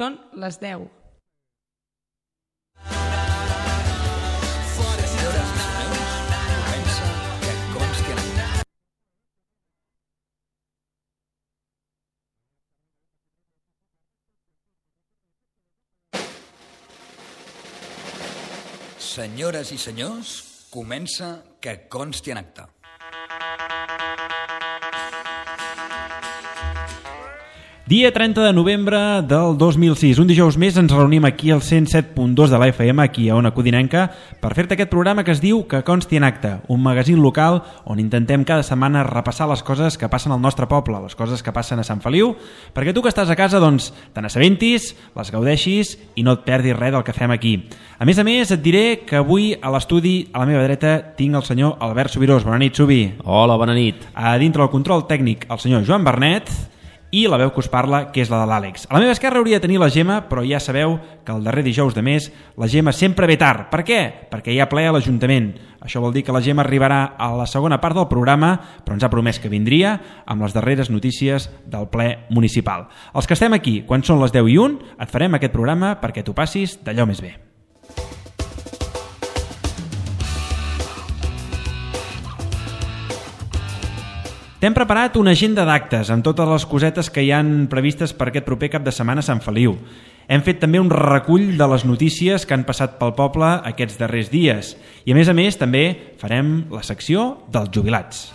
Són les 10. Senyores i senyors, comença Que consti en acta. Dia 30 de novembre del 2006. Un dijous més ens reunim aquí al 107.2 de la FM, aquí a Ona Codinenca, per fer-te aquest programa que es diu Que consti en acta, un magazín local on intentem cada setmana repassar les coses que passen al nostre poble, les coses que passen a Sant Feliu, perquè tu que estàs a casa, doncs, te n'assabentis, les gaudeixis i no et perdis res del que fem aquí. A més, et diré que avui a l'estudi, a la meva dreta, tinc el senyor Albert Subirós. Bona nit, Subi. Hola, bona nit. A dintre del control tècnic, el senyor Joan Bernet, i la veu que us parla, que és la de l'Àlex. A la meva esquerra hauria de tenir la Gemma, però ja sabeu que el darrer dijous de mes la Gemma sempre ve tard. Per què? Perquè hi ha ple a l'Ajuntament. Això vol dir que la Gemma arribarà a la segona part del programa, però ens ha promès que vindria amb les darreres notícies del ple municipal. Els que estem aquí, quan són les 10:01, et farem aquest programa perquè t'ho passis d'allò més bé. T'hem preparat una agenda d'actes amb totes les cosetes que hi han previstes per aquest proper cap de setmana a Sant Feliu. Hem fet també un recull de les notícies que han passat pel poble aquests darrers dies. I a més, també farem la secció dels jubilats.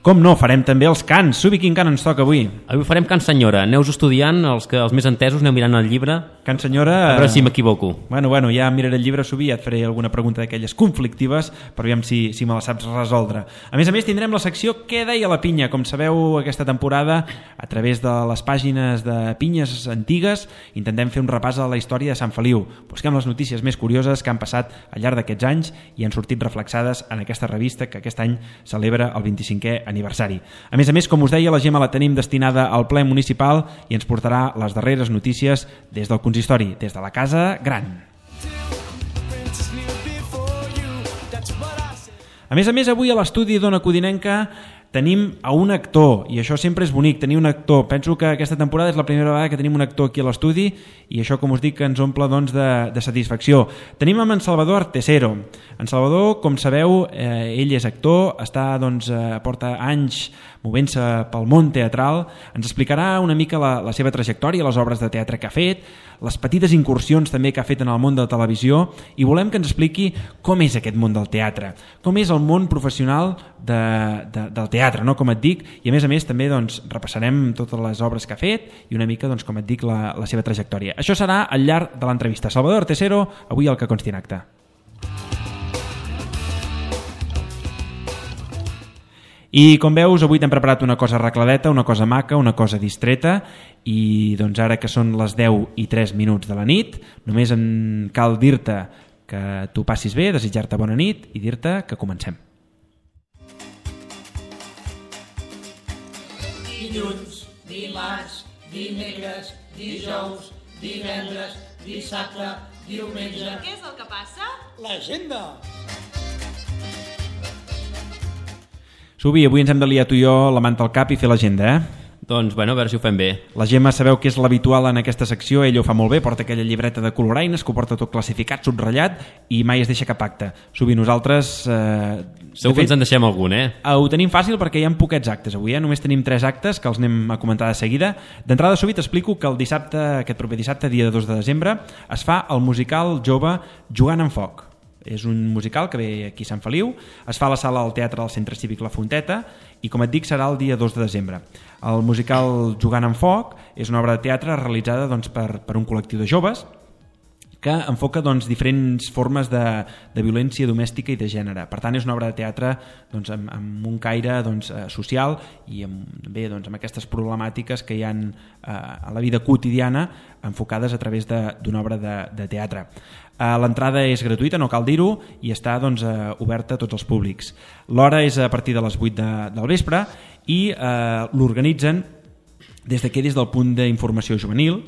Com no, farem també els cants. Subi, quin cant ens toca avui? Avui farem Can Senyora. Aneu estudiant, els més entesos, aneu mirant el llibre. Can Senyora... A veure si m'equivoco. Bueno, ja miraré el llibre, Subi, ja et faré alguna pregunta d'aquelles conflictives, però aviam si me la saps resoldre. A més, tindrem la secció Què deia la pinya? Com sabeu, aquesta temporada, a través de les pàgines de pinyes antigues, intentem fer un repàs a la història de Sant Feliu. Busquem les notícies més curioses que han passat al llarg d'aquests anys i han sortit reflexades en aquesta revista que aquest any celebra el 25è aniversari. A més, com us deia, la Gemma la tenim destinada al ple municipal i ens portarà les darreres notícies des del consistori, des de la Casa Gran. A més, avui a l'estudi d'Ona Codinenca tenim a un actor, i això sempre és bonic, tenir un actor. Penso que aquesta temporada és la primera vegada que tenim un actor aquí a l'estudi i això, com us dic, ens omple de satisfacció. Tenim amb en Salvador Artesero. En Salvador, com sabeu, ell és actor, porta anys movent-se pel món teatral. Ens explicarà una mica la seva trajectòria, les obres de teatre que ha fet, les petites incursions també que ha fet en el món de la televisió, i volem que ens expliqui com és aquest món del teatre, com és el món professional del teatre, no? Com et dic, i a més també repassarem totes les obres que ha fet i una mica, com et dic, la seva trajectòria. Això serà al llarg de l'entrevista. Salvador Artesero, avui al Que consti en acta. I com veus, avui t'hem preparat una cosa arregladeta, una cosa maca, una cosa distreta, i ara que són les 10:03 de la nit, només em cal dir-te que t'ho passis bé, desitjar-te bona nit i dir-te que comencem. Dilluns, dimarts, dimecres, dijous, divendres, dissabte, diumenge... Què és el que passa? L'agenda! Subi, avui ens hem de liar tu i jo la manta al cap i fer l'agenda, Doncs, a veure si ho fem bé. La Gemma sabeu que és l'habitual en aquesta secció, ell ho fa molt bé, porta aquella llibreta de coloraines que ho porta tot classificat, subratllat, i mai es deixa cap acte. Subi, nosaltres... Segur que ens en deixem algun, Ho tenim fàcil perquè hi ha poquets actes avui, Només tenim 3 actes que els anem a comentar de seguida. D'entrada, Subi, t'explico que aquest proper dissabte, dia 2 de desembre, es fa el musical jove Jugant amb foc. És un musical que ve aquí a Sant Feliu, es fa a la sala del teatre del Centre Cívic La Fonteta i, com et dic, serà el dia 2 de desembre. El musical Jugant amb foc és una obra de teatre realitzada per un col·lectiu de joves que enfoca diferents formes de violència domèstica i de gènere. Per tant, és una obra de teatre amb un caire social i amb aquestes problemàtiques que hi ha a la vida quotidiana enfocades a través d'una obra de teatre. L'entrada és gratuïta, no cal dir-ho, i està oberta a tots els públics. L'hora és a partir de les 8 del vespre i l'organitzen des del punt d'informació juvenil.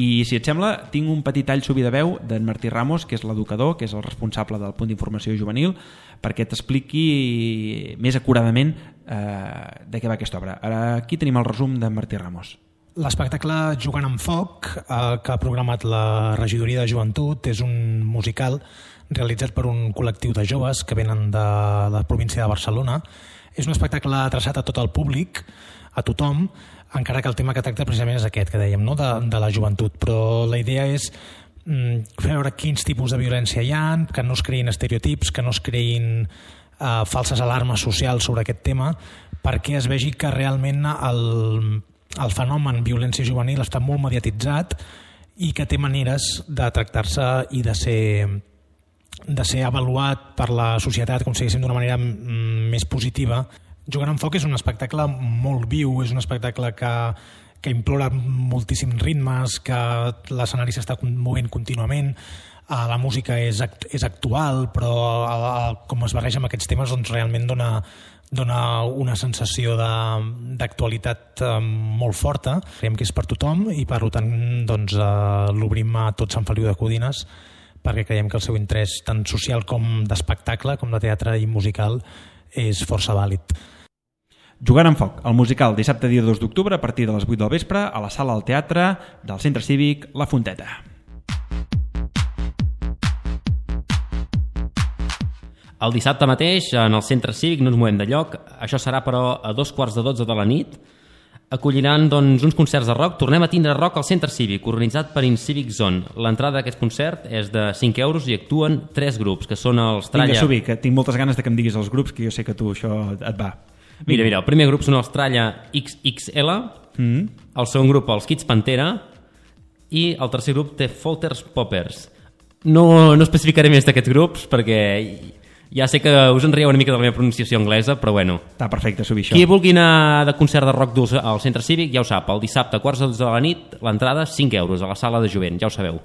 I si et sembla, tinc un petit tall Subi de veu d'en Martí Ramos, que és l'educador, que és el responsable del punt d'informació juvenil, perquè t'expliqui més acuradament de què va aquesta obra. Aquí tenim el resum d'en Martí Ramos. L'espectacle Jugant amb foc, que ha programat la Regidoria de Joventut, és un musical realitzat per un col·lectiu de joves que venen de la província de Barcelona. És un espectacle adreçat a tot el públic, a tothom, encara que el tema que tracta precisament és aquest que dèiem, no? de la joventut. Però la idea és fer veure quins tipus de violència hi ha, que no es creïn estereotips, que no es creïn falses alarmes socials sobre aquest tema, perquè es vegi que realment el fenomen violència juvenil està molt mediatitzat i que té maneres de tractar-se i de ser avaluat per la societat, com si diguéssim, d'una manera més positiva. Jugant amb foc és un espectacle molt viu, és un espectacle que implora moltíssims ritmes, que l'escenari s'està movent contínuament, la música és actual, però com es barreja amb aquests temes doncs realment dona una sensació d'actualitat molt forta. Creiem que és per tothom i per tant doncs, l'obrim a tot Sant Feliu de Codines perquè creiem que el seu interès tant social com d'espectacle, com de teatre i musical, és força vàlid. Jugant amb foc, el musical dissabte dia 2 d'octubre a partir de les 8 del vespre a la sala del teatre del Centre Cívic La Fonteta. El dissabte mateix, en el Centre Cívic, no ens movem de lloc. Això serà, però, a 2:45 de la nit. Acolliran doncs, uns concerts de rock. Tornem a tindre rock al Centre Cívic, organitzat per Incivic Zone. L'entrada d'aquest concert és de 5 euros i actuen 3 grups, que són els Tralla... Vinga, Subi, que tinc moltes ganes de que em diguis els grups, que jo sé que tu això et va. Mira, el primer grup són els Tralla XXL, el segon grup els Kids Pantera i el tercer grup The Folters Poppers. No especificaré més d'aquests grups perquè ja sé que us en rieu una mica de la meva pronunciació anglesa, però bueno. Està perfecte, Subi, això. Qui vulgui anar de concert de rock dur al Centre Cívic ja ho sap, el dissabte a 11:45 de la nit, l'entrada 5 euros a la sala de jovent, ja ho sabeu.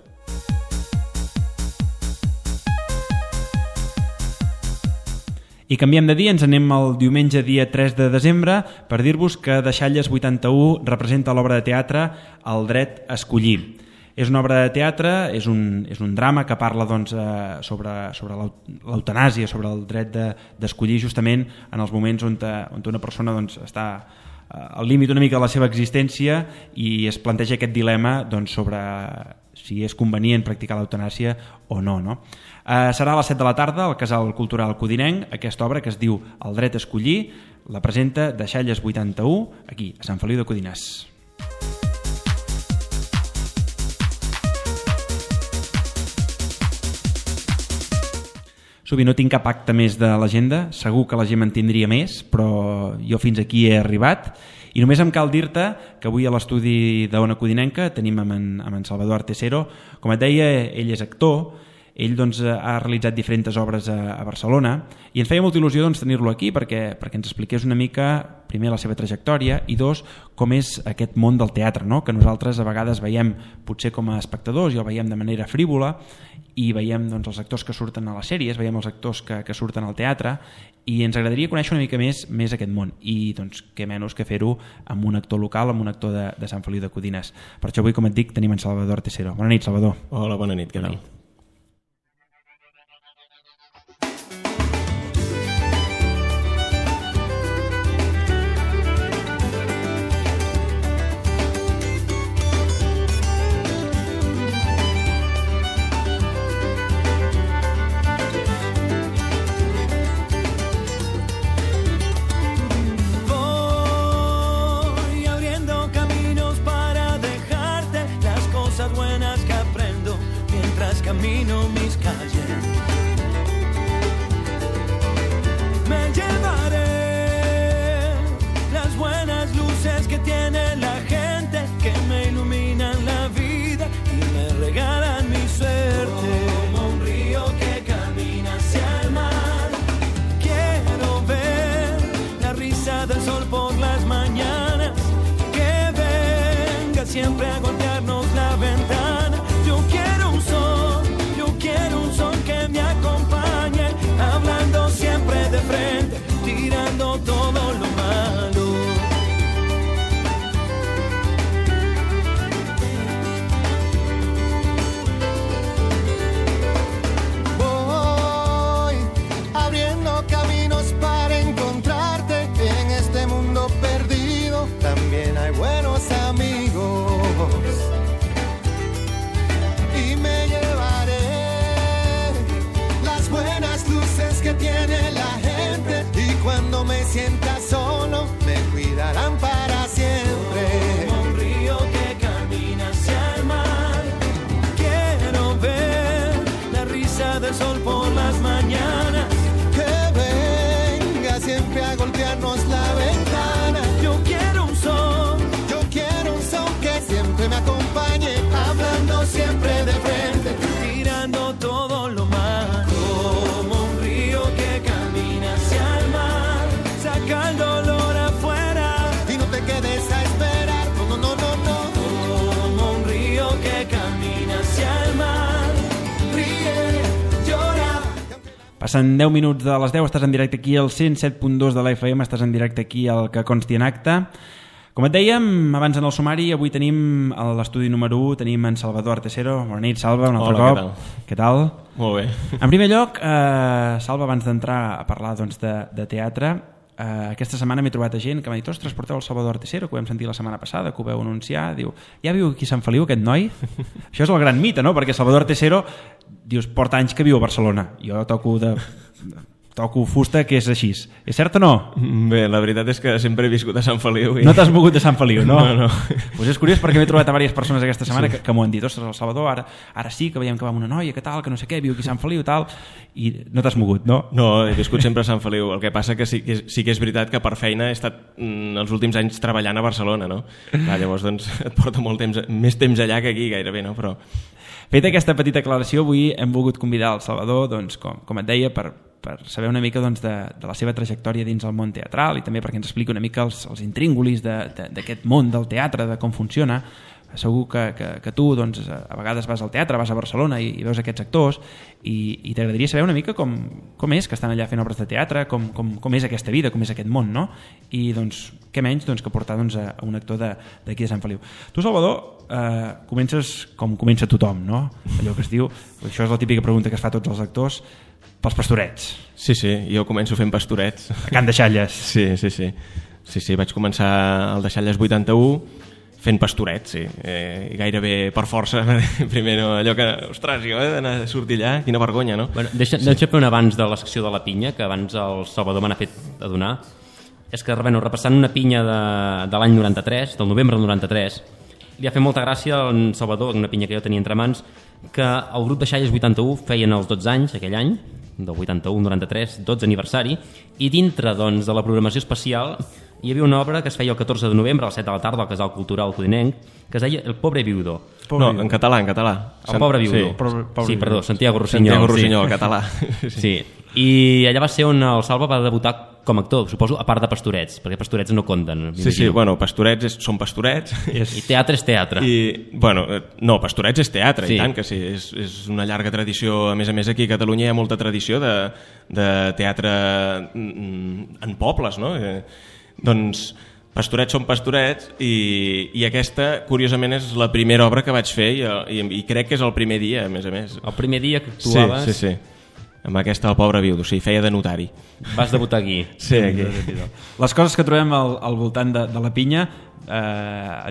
I canviem de dia, ens anem el diumenge dia 3 de desembre per dir-vos que Deixalles 81 representa l'obra de teatre El dret a escollir. És una obra de teatre, és un drama que parla doncs, sobre l'eutanàsia, sobre el dret d'escollir justament en els moments on una persona doncs, està al límit una mica de la seva existència i es planteja aquest dilema doncs, sobre si és convenient practicar l'eutanàsia o no. Serà a les 7 de la tarda al Casal Cultural Codinenc, aquesta obra que es diu El dret a escollir, la presenta Deixalles 81, aquí, a Sant Feliu de Codines. Subi, no tinc cap acte més de l'agenda, segur que la gent en tindria més, però jo fins aquí he arribat i només em cal dir-te que avui a l'estudi d'Ona Codinenca tenim amb en Salvador Artesero. Com et deia, ell és actor, ell doncs, ha realitzat diferents obres a Barcelona i ens feia molta il·lusió doncs, tenir-lo aquí perquè ens expliqués una mica, primer, la seva trajectòria i dos, com és aquest món del teatre, no? Que nosaltres a vegades veiem potser com a espectadors i el veiem de manera frívola i veiem doncs, els actors que surten a les sèries, veiem els actors que surten al teatre i ens agradaria conèixer una mica més aquest món i doncs què menys que fer-ho amb un actor local, amb un actor de Sant Feliu de Codines. Per això avui, com et dic, tenim en Salvador Artesero. Bona nit, Salvador. Hola, bona nit, què tal? sienta solo, me cuidarán para siempre. Como un río que camina hacia el mar, quiero ver la risa del sol por las mañanas, Que venga siempre a golpearnos la ventana. yo quiero un son Que siempre me acompañe, hablando siempre de frente. tirando todo lo malo, como un río que camina hacia el mar, saca el dolor afuera, Y no te quedes a esperar, no, no, no, no, no. como un río que camina hacia el mar, ríe, llora. Passen 10 minuts de les 10, estàs en directe aquí al 107.2 de la FM, estàs en directe aquí al Que Consti en Acte. Com et dèiem, abans en el sumari, avui tenim a l'estudi número 1, tenim en Salvador Artesero. Bona nit, Salva, un altre Hola, cop. Què tal? Molt bé. En primer lloc, Salva, abans d'entrar a parlar doncs, de teatre, aquesta setmana m'he trobat a gent que m'ha dit: ostres, porteu el Salvador Artesero, que ho vam sentir la setmana passada, que ho veu anunciar. Diu, ja viu aquí a Sant Feliu, aquest noi? Això és el gran mite, no? Perquè Salvador Artesero, dius, porta anys que viu a Barcelona. Jo toco fusta, que és així. És cert o no? Bé, la veritat és que sempre he viscut a Sant Feliu. No t'has mogut de Sant Feliu, no? No. Pues és curiós perquè m'he trobat a diverses persones aquesta setmana que m'ho han dit: ostres, el Salvador, ara sí que veiem que va amb una noia, que tal, que no sé què, viu aquí a Sant Feliu, tal, i no t'has mogut, no? No, he viscut sempre a Sant Feliu. El que passa que sí que és veritat que per feina he estat els últims anys treballant a Barcelona, no? Clar, llavors doncs, et porta molt temps, més temps allà que aquí gairebé, no? Però... Feta aquesta petita aclaració, avui hem volgut convidar el Salvador, doncs, com et deia, per saber una mica doncs, de la seva trajectòria dins el món teatral i també perquè ens expliqui una mica els intríngulis d'aquest món del teatre, de com funciona. Segur que tu doncs, a vegades vas al teatre, vas a Barcelona i veus aquests actors i t'agradaria saber una mica com és que estan allà fent obres de teatre, com és aquesta vida, com és aquest món, no? I doncs, què menys doncs, que portar doncs, a un actor d'aquí de Sant Feliu. Tu, Salvador, comences com comença tothom, no? Allò que es diu, això és la típica pregunta que es fa a tots els actors, pels pastorets. Sí, jo començo fent pastorets. A Can Deixalles. Sí, vaig començar al Deixalles 81 fent pastorets, sí. I gairebé per força, primer no, allò que, ostres, jo he d'anar a sortir allà, quina vergonya, no? Bueno, deixa fer un abans de la secció de la pinya, que abans el Salvador me n'ha fet adonar. És que, bueno, repassant una pinya de l'any 93, del novembre del 93, li ha fet molta gràcia al Salvador, una pinya que jo tenia entre mans, que el grup Deixalles 81 feien els 12 anys, aquell any, del 81-93, 12 aniversari, i dintre doncs, de la programació especial hi havia una obra que es feia el 14 de novembre a les 7 de la tarda al Casal Cultural Codinenc, que es deia El pobre viudo. No, en català. El pobre viudo. Sí, perdó, Santiago Rossinyol. Santiago Rossinyol, el català. Sí, i allà va ser on el Salva va debutar com a actor, suposo, a part de pastorets, perquè pastorets no compten. Sí, bueno, pastorets són pastorets. I teatre és teatre. No, pastorets és teatre, sí. I tant que sí, és una llarga tradició. A més aquí a Catalunya hi ha molta tradició de teatre en pobles, no? Doncs pastorets són pastorets i aquesta, curiosament, és la primera obra que vaig fer i crec que és el primer dia, a més. El primer dia que actuaves... Sí. Amb aquesta, El pobre viudo, sí, feia de notari. Vas debutar aquí. Sí, aquí. Les coses que trobem al voltant de la pinya,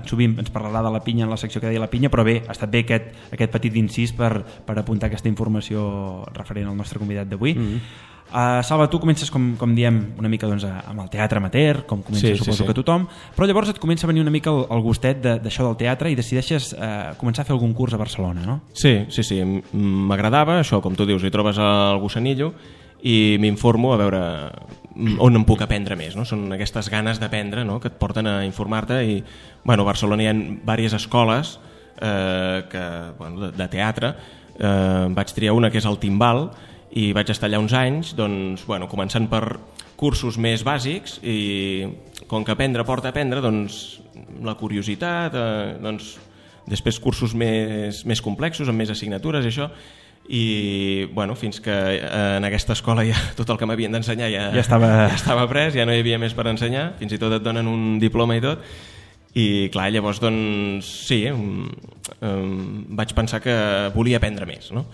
sovint ens parlarà de la pinya en la secció que deia la pinya, però bé, ha estat bé aquest petit incís per apuntar aquesta informació referent al nostre convidat d'avui. Salva, tu comences, com diem, una mica doncs, amb el teatre amateur, com comença suposo que tothom, però llavors et comença a venir una mica el gustet d'això del teatre i decideixes començar a fer algun curs a Barcelona, no? Sí, m'agradava, això, com tu dius, hi trobes el gossanillo i m'informo a veure on em puc aprendre més, no? Són aquestes ganes d'aprendre, no?, que et porten a informar-te i, bueno, a Barcelona hi ha diverses escoles de teatre. Vaig triar una que és el Timbal i vaig estar allà uns anys, doncs, bueno, començant per cursos més bàsics i com que aprendre porta a aprendre, doncs la curiositat, doncs després cursos més complexos, amb més assignatures i això, i bueno, fins que en aquesta escola ja tot el que m'havien d'ensenyar ja estava pres, ja no hi havia més per ensenyar, fins i tot et donen un diploma i tot, i clar, llavors doncs sí, vaig pensar que volia aprendre més, no?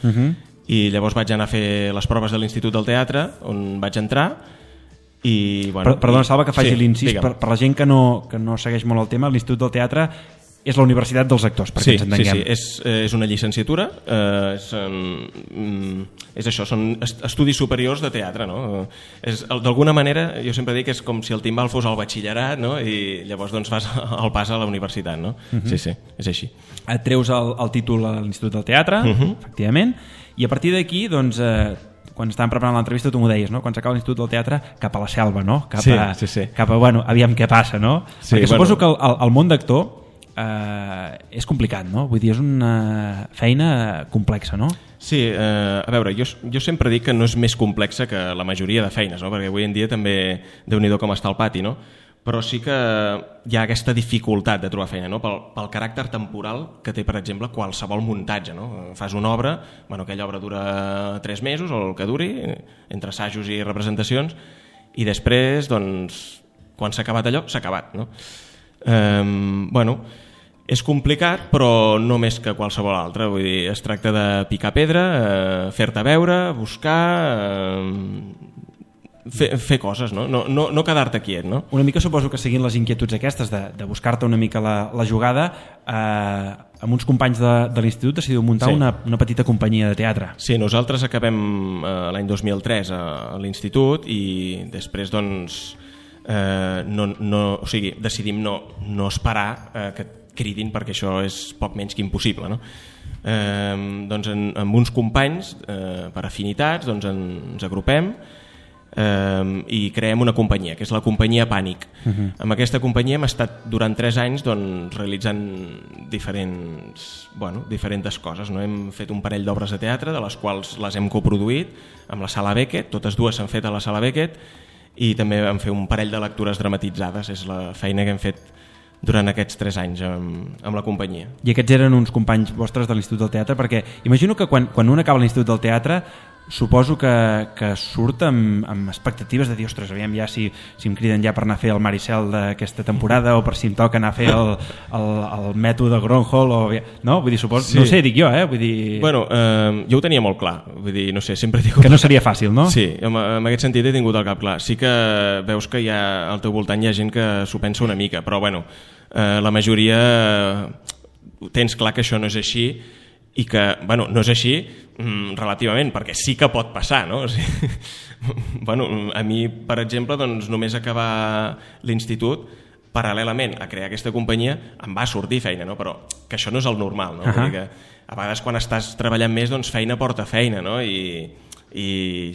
I llavors vaig anar a fer les proves de l'Institut del Teatre, on vaig entrar i... Bueno, Perdona, Salva, que faci l'incís, per la gent que no segueix molt el tema, l'Institut del Teatre és la universitat dels actors, perquè ens entenguem. Sí, és una llicenciatura, és això, són estudis superiors de teatre, no? D'alguna manera, jo sempre dic que és com si el timbal fos el batxillerat, no? I llavors doncs fas el pas a la universitat, no? Sí, és així. Et treus el títol a l'Institut del Teatre, efectivament, i a partir d'aquí, doncs, quan estàvem preparant l'entrevista tu m'ho deies, no? Quan s'acaba l'Institut del Teatre cap a la selva, no? Cap a bueno, aviam què passa, no? Perquè suposo que el món d'actor és complicat, no? Vull dir, és una feina complexa, no? Sí, a veure, jo sempre dic que no és més complexa que la majoria de feines, no? Perquè avui en dia també Déu-n'hi-do com està el pati, no? Però sí que hi ha aquesta dificultat de trobar feina, no? Pel caràcter temporal que té, per exemple, qualsevol muntatge, no? Fas una obra, bueno, aquella obra dura 3 mesos o el que duri, entre assajos i representacions, i després, doncs, quan s'ha acabat allò, s'ha acabat, no? Bueno, és complicat, però no més que qualsevol altre. Vull dir, es tracta de picar pedra, fer-te veure, buscar, fer coses, no? No quedar-te quiet, no? Una mica suposo que seguint les inquietuds aquestes de buscar-te una mica la jugada, amb uns companys de l'institut decidiu muntar una petita companyia de teatre. Sí, nosaltres acabem l'any 2003 a l'institut i després doncs o sigui, decidim no esperar que et cridin, perquè això és poc menys que impossible, no? Doncs amb uns companys per afinitats doncs ens agrupem i creem una companyia, que és la companyia Pànic. Amb aquesta companyia hem estat durant 3 anys doncs, realitzant diferents coses, no? Hem fet un parell d'obres de teatre, de les quals les hem coproduït amb la Sala Beckett, totes dues s'han fet a la Sala Beckett, i també vam fer un parell de lectures dramatitzades. És la feina que hem fet durant aquests 3 anys amb la companyia. I aquests eren uns companys vostres de l'Institut del Teatre, perquè imagino que quan un acaba l'Institut del Teatre suposo que surt amb expectatives de dir, ostres, aviam ja si em criden ja per anar a fer el Maricel d'aquesta temporada o per si em toca anar a fer el mètode Gronholm no? Vull dir, suposo, no sé, dic jo, vull dir... Bueno, jo ho tenia molt clar, vull dir, no sé, sempre dic... Que no seria fàcil, no? Sí, en aquest sentit he tingut el cap clar. Sí que veus que al teu voltant hi ha gent que s'ho pensa una mica, però bueno, la majoria tens clar que això no és així i que, bueno, no és així relativament, perquè sí que pot passar, no? O sigui, bueno, a mi, per exemple, doncs, només acabar l'institut, paral·lelament a crear aquesta companyia, em va sortir feina, no? Però que això no és el normal, no? Vull dir que a vegades quan estàs treballant més, doncs feina porta feina, no? I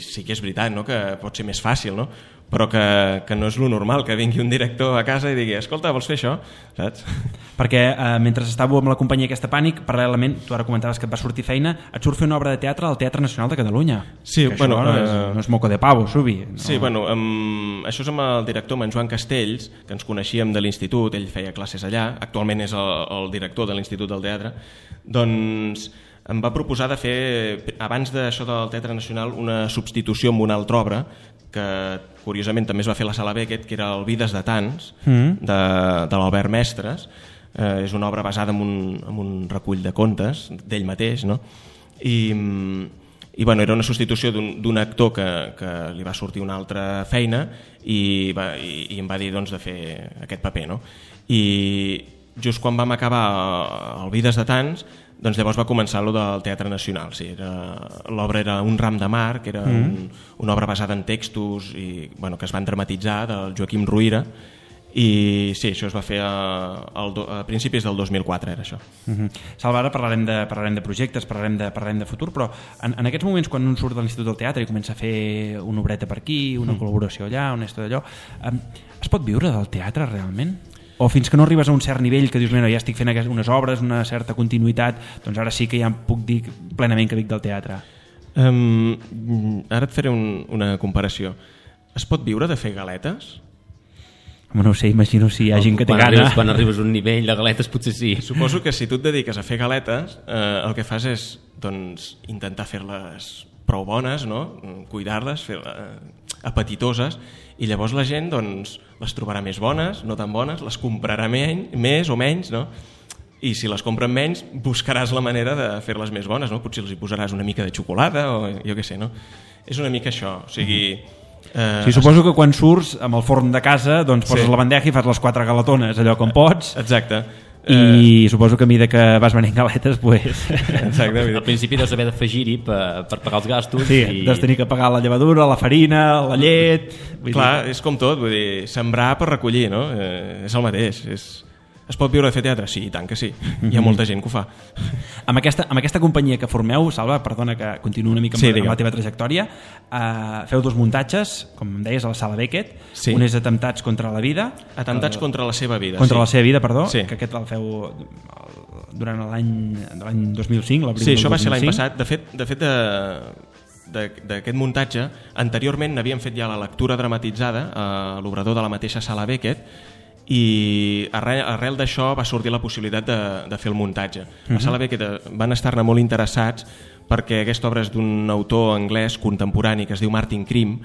sí que és veritat, no? Que pot ser més fàcil, no? Però que no és lo normal que vingui un director a casa i digui, escolta, vols fer això? Saps? Perquè mentre estàveu amb la companyia aquesta Pànic, paral·lelament, tu ara comentaves que et va sortir feina, et surt fer una obra de teatre al Teatre Nacional de Catalunya. Sí, que bueno, no és moco de pavo, Subi. No. Sí, bueno, això és amb el director, amb en Joan Castells, que ens coneixíem de l'institut, ell feia classes allà, actualment és el director de l'Institut del Teatre, doncs em va proposar de fer, abans d'això del Teatre Nacional, una substitució amb una altra obra que curiosament també es va fer a la Sala Beckett, que era el Vides de Tants, de l'Albert Mestres. És una obra basada en un recull de contes d'ell mateix, no? I bueno, era una substitució d'un actor que li va sortir una altra feina i em va dir doncs, de fer aquest paper, no? I just quan vam acabar el Vides de Tants, doncs llavors va començar allò del Teatre Nacional. Sí, l'obra era Un ram de mar, que era una obra basada en textos i, bueno, que es van dramatitzar, del Joaquim Ruyra, i sí, això es va fer a principis del 2004, era això. Salva, ara parlarem de projectes, parlarem de futur, però en aquests moments quan un surt de l'Institut del Teatre i comença a fer una obreta per aquí, una col·laboració allà, una història d'allò, es pot viure del teatre realment? O fins que no arribes a un cert nivell que dius, ja estic fent unes obres, una certa continuïtat, doncs ara sí que ja em puc dir plenament que vic del teatre? Ara et faré una comparació. Es pot viure de fer galetes? Home, no ho sé, imagino si hi ha gent que té gana. Quan arribes a un nivell de galetes potser sí. Suposo que si tu et dediques a fer galetes, el que fas és doncs, intentar fer-les prou bones, no? Cuidar-les, fer-les apetitoses, i llavors la gent doncs, les trobarà més bones, no tan bones, les comprarà més o menys, no? I si les compren menys buscaràs la manera de fer-les més bones, no? Potser els hi posaràs una mica de xocolata o jo què sé, no? És una mica això, o sigui... Sí, suposo que quan surts amb el forn de casa doncs poses la bandeja i fas les 4 galetones, allò com pots. Exacte. I suposo que a mesura que vas venent galetes, pues... Exacte. Al principi deus haver d'afegir-hi per pagar els gastos. Sí, deus tenir que pagar la llevadura, la farina, la llet... Clar, és com tot, vull dir, sembrar per recollir, no? És el mateix, Es pot viure de fer teatre? Sí, i tant que sí. Hi ha molta gent que ho fa. Amb aquesta companyia que formeu, Salva, perdona que continuï una mica amb la teva trajectòria, feu 2 muntatges, com em deies, a la Sala Beckett. Sí. Un és Atemptats contra la vida. Atemptats contra la seva vida. Contra la seva vida, perdó. Sí. Que aquest el feu durant l'any 2005, l'abril del 2005. Sí, això va ser l'any passat. De fet, d'aquest muntatge, anteriorment n'havíem fet ja la lectura dramatitzada a l'obrador de la mateixa Sala Beckett, i arrel d'això va sortir la possibilitat de fer el muntatge. La Sala Beckett van estar-ne molt interessats perquè aquesta obra és d'un autor anglès contemporani que es diu Martin Krim,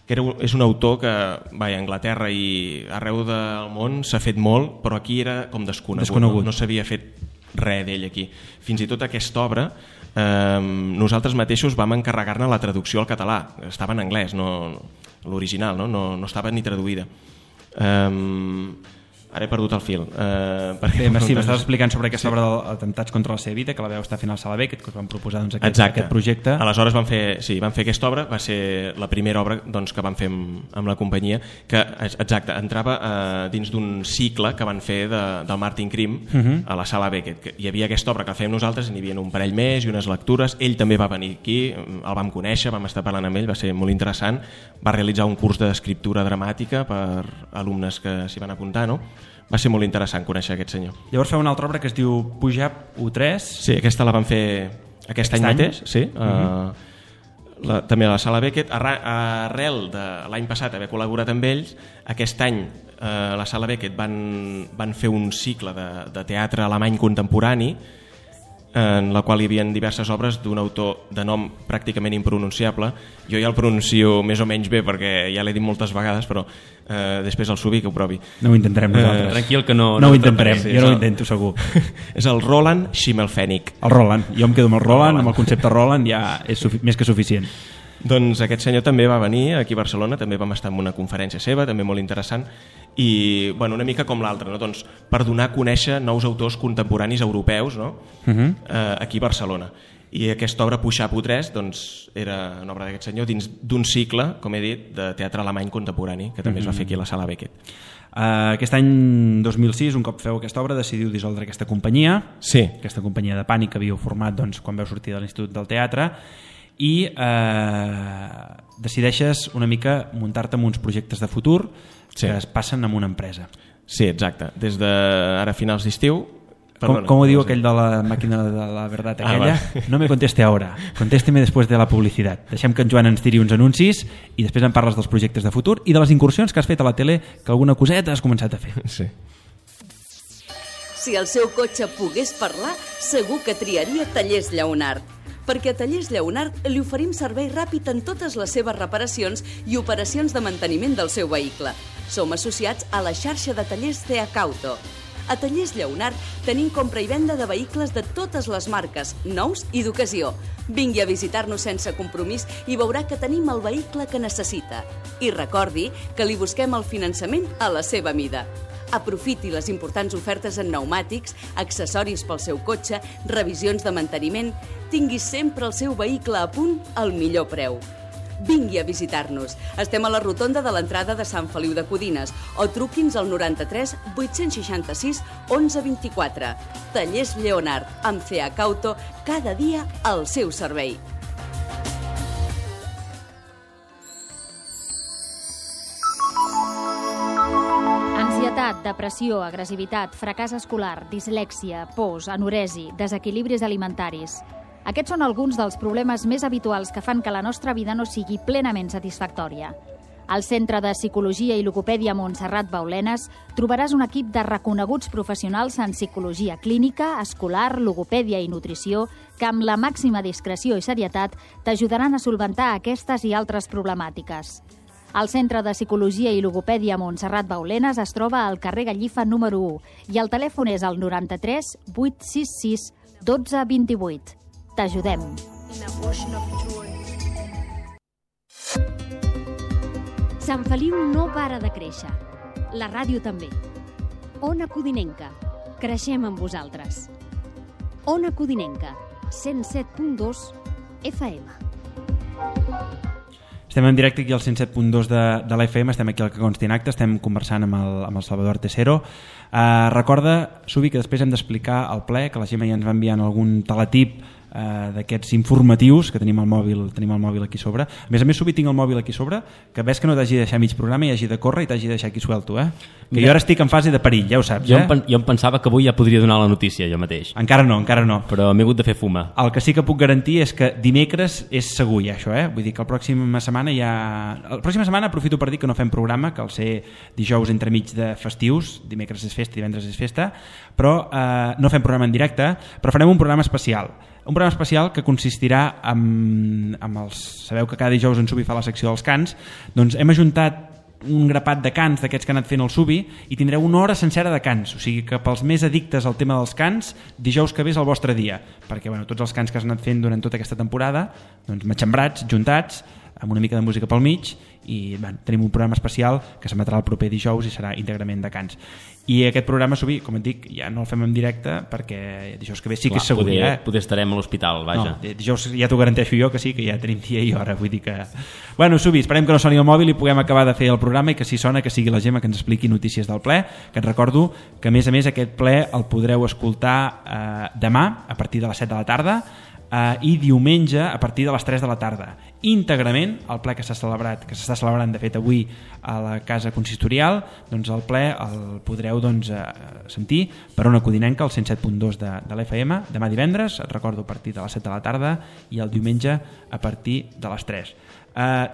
que és un autor que a Anglaterra i arreu del món s'ha fet molt, però aquí era com desconegut. No s'havia fet res d'ell aquí. Fins i tot aquesta obra nosaltres mateixos vam encarregar-ne la traducció al català. Estava en anglès, l'original, no estava ni traduïda. Ara he perdut el fil. Sí, m'estaves explicant sobre aquesta obra d'Atemptats contra la seva vida, que la veu estar fent al Sala Beckett, que us van proposar aquest projecte. Aleshores van fer aquesta obra, va ser la primera obra que van fer amb la companyia, que entrava dins d'un cicle que van fer del Martin Krim a la Sala Beckett. Hi havia aquesta obra que fèiem nosaltres, n'hi havia un parell més i unes lectures. Ell també va venir aquí, el vam conèixer, vam estar parlant amb ell, va ser molt interessant. Va realitzar un curs d'escriptura dramàtica per alumnes que s'hi van apuntar, no? Va ser molt interessant conèixer aquest senyor. Llavors feu una altra obra que es diu Pujab U3. Sí, aquesta la vam fer aquest any mateix, sí. També a la Sala Beckett. Arrel de l'any passat haver col·laborat amb ells, aquest any a la Sala Beckett van fer un cicle de teatre alemany contemporani en la qual hi havia diverses obres d'un autor de nom pràcticament impronunciable. Jo ja el pronuncio més o menys bé perquè ja l'he dit moltes vegades, però després el Subi que ho provi. No ho intentarem nosaltres. Tranquil que no ho intentarem, jo no ho intento segur. És el Roland Schimmelpfennig. El Roland, jo em quedo amb el Roland, amb el concepte Roland ja és més que suficient. Doncs aquest senyor també va venir aquí a Barcelona, també vam estar en una conferència seva, també molt interessant, i una mica com l'altra, no? Doncs, per donar a conèixer nous autors contemporanis europeus, no? Aquí a Barcelona. I aquesta obra Pujab U3 era una obra d'aquest senyor dins d'un cicle, com he dit, de teatre alemany contemporani, que també es va fer aquí a la Sala Beckett. Aquest any 2006, un cop feu aquesta obra, decidiu dissoldre aquesta companyia, aquesta companyia de Pànic que havíeu format quan veu sortir de l'Institut del Teatre, i decideixes una mica muntar-te amb uns projectes de futur que es passen amb una empresa. Sí, exacte. Des d'ara finals d'estiu... Com ho diu aquell de la màquina de la veritat aquella? No me conteste ahora, contésteme después de la publicitat. Deixem que en Joan ens tiri uns anuncis i després em parles dels projectes de futur i de les incursions que has fet a la tele, que alguna coseta has començat a fer. Sí. Si el seu cotxe pogués parlar, segur que triaria Tallers Lleonart. Perquè a Tallers Lleonart li oferim servei ràpid en totes les seves reparacions i operacions de manteniment del seu vehicle. Som associats a la xarxa de tallers Ceacauto. A Tallers Lleonart tenim compra i venda de vehicles de totes les marques, nous i d'ocasió. Vingui a visitar-nos sense compromís i veurà que tenim el vehicle que necessita. I recordi que li busquem el finançament a la seva mida. Aprofiti les importants ofertes en pneumàtics, accessoris pel seu cotxe, revisions de manteniment. Tingui sempre el seu vehicle a punt al millor preu. Vingui a visitar-nos. Estem a la rotonda de l'entrada de Sant Feliu de Codines o truqui'ns al 93 866 1124. Tallers Lleonart, amb Ceacauto, cada dia al seu servei. Ansietat, depressió, agressivitat, fracàs escolar, dislèxia, pors, anoresi, desequilibris alimentaris. Aquests són alguns dels problemes més habituals que fan que la nostra vida no sigui plenament satisfactòria. Al Centre de Psicologia i Logopèdia Montserrat Baulenes trobaràs un equip de reconeguts professionals en psicologia clínica, escolar, logopèdia i nutrició que amb la màxima discreció i serietat t'ajudaran a solventar aquestes i altres problemàtiques. El Centre de Psicologia i Logopèdia Montserrat Baulenes es troba al carrer Gallifa número 1 i el telèfon és el 93 866 12 28. T'ajudem. Sant Feliu no para de créixer. La ràdio també. Ona Codinenca. Creixem amb vosaltres. Ona Codinenca, 107.2 FM. Estem en directe aquí al 107.2 de l'FM, estem aquí al que consti en acte, estem conversant amb el Salvador Tesero. Recorda, Subi, que després hem d'explicar el ple, que la Gemma ja ens va enviant algun teletip d'aquests informatius, que tenim el mòbil aquí sobre. A més, Subi, tinc el mòbil aquí sobre, que ves que no t'hagi de deixar mig programa i hagi de córrer i t'hagi de deixar aquí suelto, que jo ara estic en fase de perill, ja ho saps. Jo em pensava que avui ja podria donar la notícia jo mateix. Encara no. Però m'he hagut de fer fuma. El que sí que puc garantir és que dimecres és segur ja, això, Vull dir que la pròxima setmana La pròxima setmana aprofito per dir que no fem programa, que al ser dijous entremig de festius, dimecres és festa, divendres és festa, però no fem programa en directe, però farem un programa especial. Un programa especial que consistirà amb els... Sabeu que cada dijous en Subi fa la secció dels cants, doncs hem ajuntat un grapat de cants d'aquests que ha anat fent el Subi i tindreu una hora sencera de cants, o sigui que pels més addictes al tema dels cants, dijous que ve és el vostre dia, perquè tots els cants que has anat fent durant tota aquesta temporada, doncs matxembrats, juntats, amb una mica de música pel mig, i tenim un programa especial que s'emetrà el proper dijous i serà íntegrament de cants. I aquest programa, Subi, com et dic, ja no el fem en directe perquè dijous que ve sí que és segur. Poder estarem a l'hospital, vaja. No, dijous ja t'ho garanteixo jo que sí, que ja tenim dia i hora, vull dir que... Bueno, Subi, esperem que no soni el mòbil i puguem acabar de fer el programa i que si sona que sigui la Gemma que ens expliqui notícies del ple, que et recordo que a més aquest ple el podreu escoltar demà a partir de les 7 de la tarda i diumenge a partir de les 3 de la tarda. Íntegrament, el ple que s'està celebrant de fet avui a la Casa Consistorial, doncs el ple el podreu sentir per Ona Codinenca, al 107.2 de l'FM, demà divendres, et recordo, a partir de les 7 de la tarda i el diumenge a partir de les 3.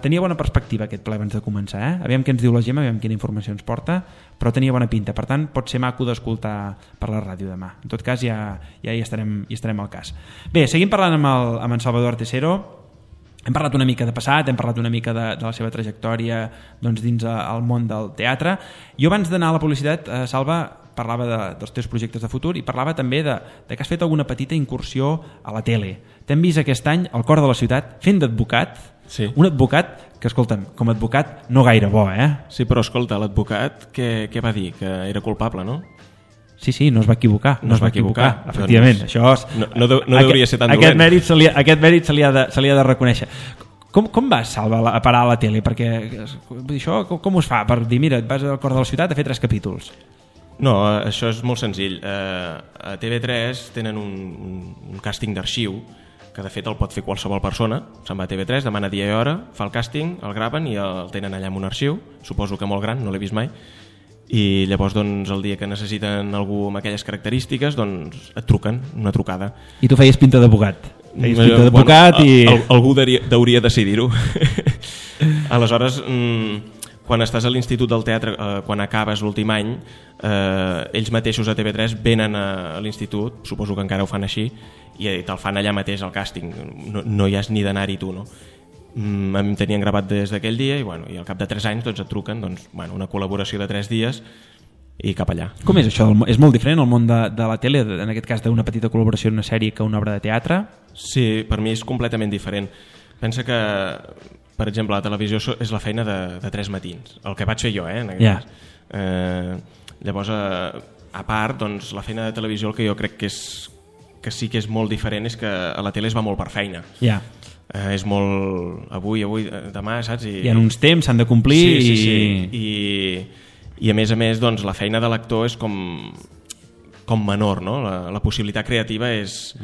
Tenia bona perspectiva aquest ple abans de començar, Aviam què ens diu la Gemma, aviam quina informació ens porta, però tenia bona pinta, per tant pot ser maco d'escoltar per la ràdio demà. En tot cas ja hi estarem al cas. Bé, seguim parlant amb en Salvador Tesero. Hem parlat una mica de passat, hem parlat una mica de la seva trajectòria dins el món del teatre. Jo abans d'anar a la publicitat, Salva, parlava dels teus projectes de futur i parlava també de que has fet alguna petita incursió a la tele. T'hem vist aquest any al cor de la ciutat fent d'advocat, un advocat que, escolta'm, com a advocat no gaire bo, Sí, però escolta, l'advocat què va dir? Que era culpable, no? Sí, no es va equivocar. No es va equivocar. Efectivament. Això és... No hauria ser tan dolent. Aquest mèrit se li ha de reconèixer. Com vas, Salva, a parar a la tele? Perquè això com us fa? Per dir, mira, et vas al cor de la ciutat a fer 3 capítols. No, això és molt senzill. A TV3 tenen un càsting d'arxiu que de fet el pot fer qualsevol persona. Se'n va a TV3, demana dia i hora, fa el càsting, el graven i el tenen allà en un arxiu, suposo que molt gran, no l'he vist mai, i llavors el dia que necessiten algú amb aquelles característiques et truquen, una trucada. I tu feies pinta d'advocat? Algú hauria de decidir-ho. Aleshores, quan estàs a l'Institut del Teatre, quan acabes l'últim any, ells mateixos a TV3 venen a l'institut, suposo que encara ho fan així, i te'l fan allà mateix al càsting, no hi has ni d'anar-hi tu, no? A mi em tenien gravat des d'aquell dia i al cap de 3 anys et truquen una col·laboració de 3 dies i cap allà. Com és això? És molt diferent el món de la tele, en aquest cas d'una petita col·laboració en una sèrie que una obra de teatre? Sí, per mi és completament diferent. Pensa que, per exemple, la televisió és la feina de 3 matins, el que vaig fer jo, en aquest cas. Llavors, a part, la feina de televisió el que jo crec que sí que és molt diferent és que a la tele es va molt per feina. És molt avui, demà, saps? Hi ha uns temps, s'han de complir. I a més, la feina de l'actor és com menor, no? La possibilitat creativa és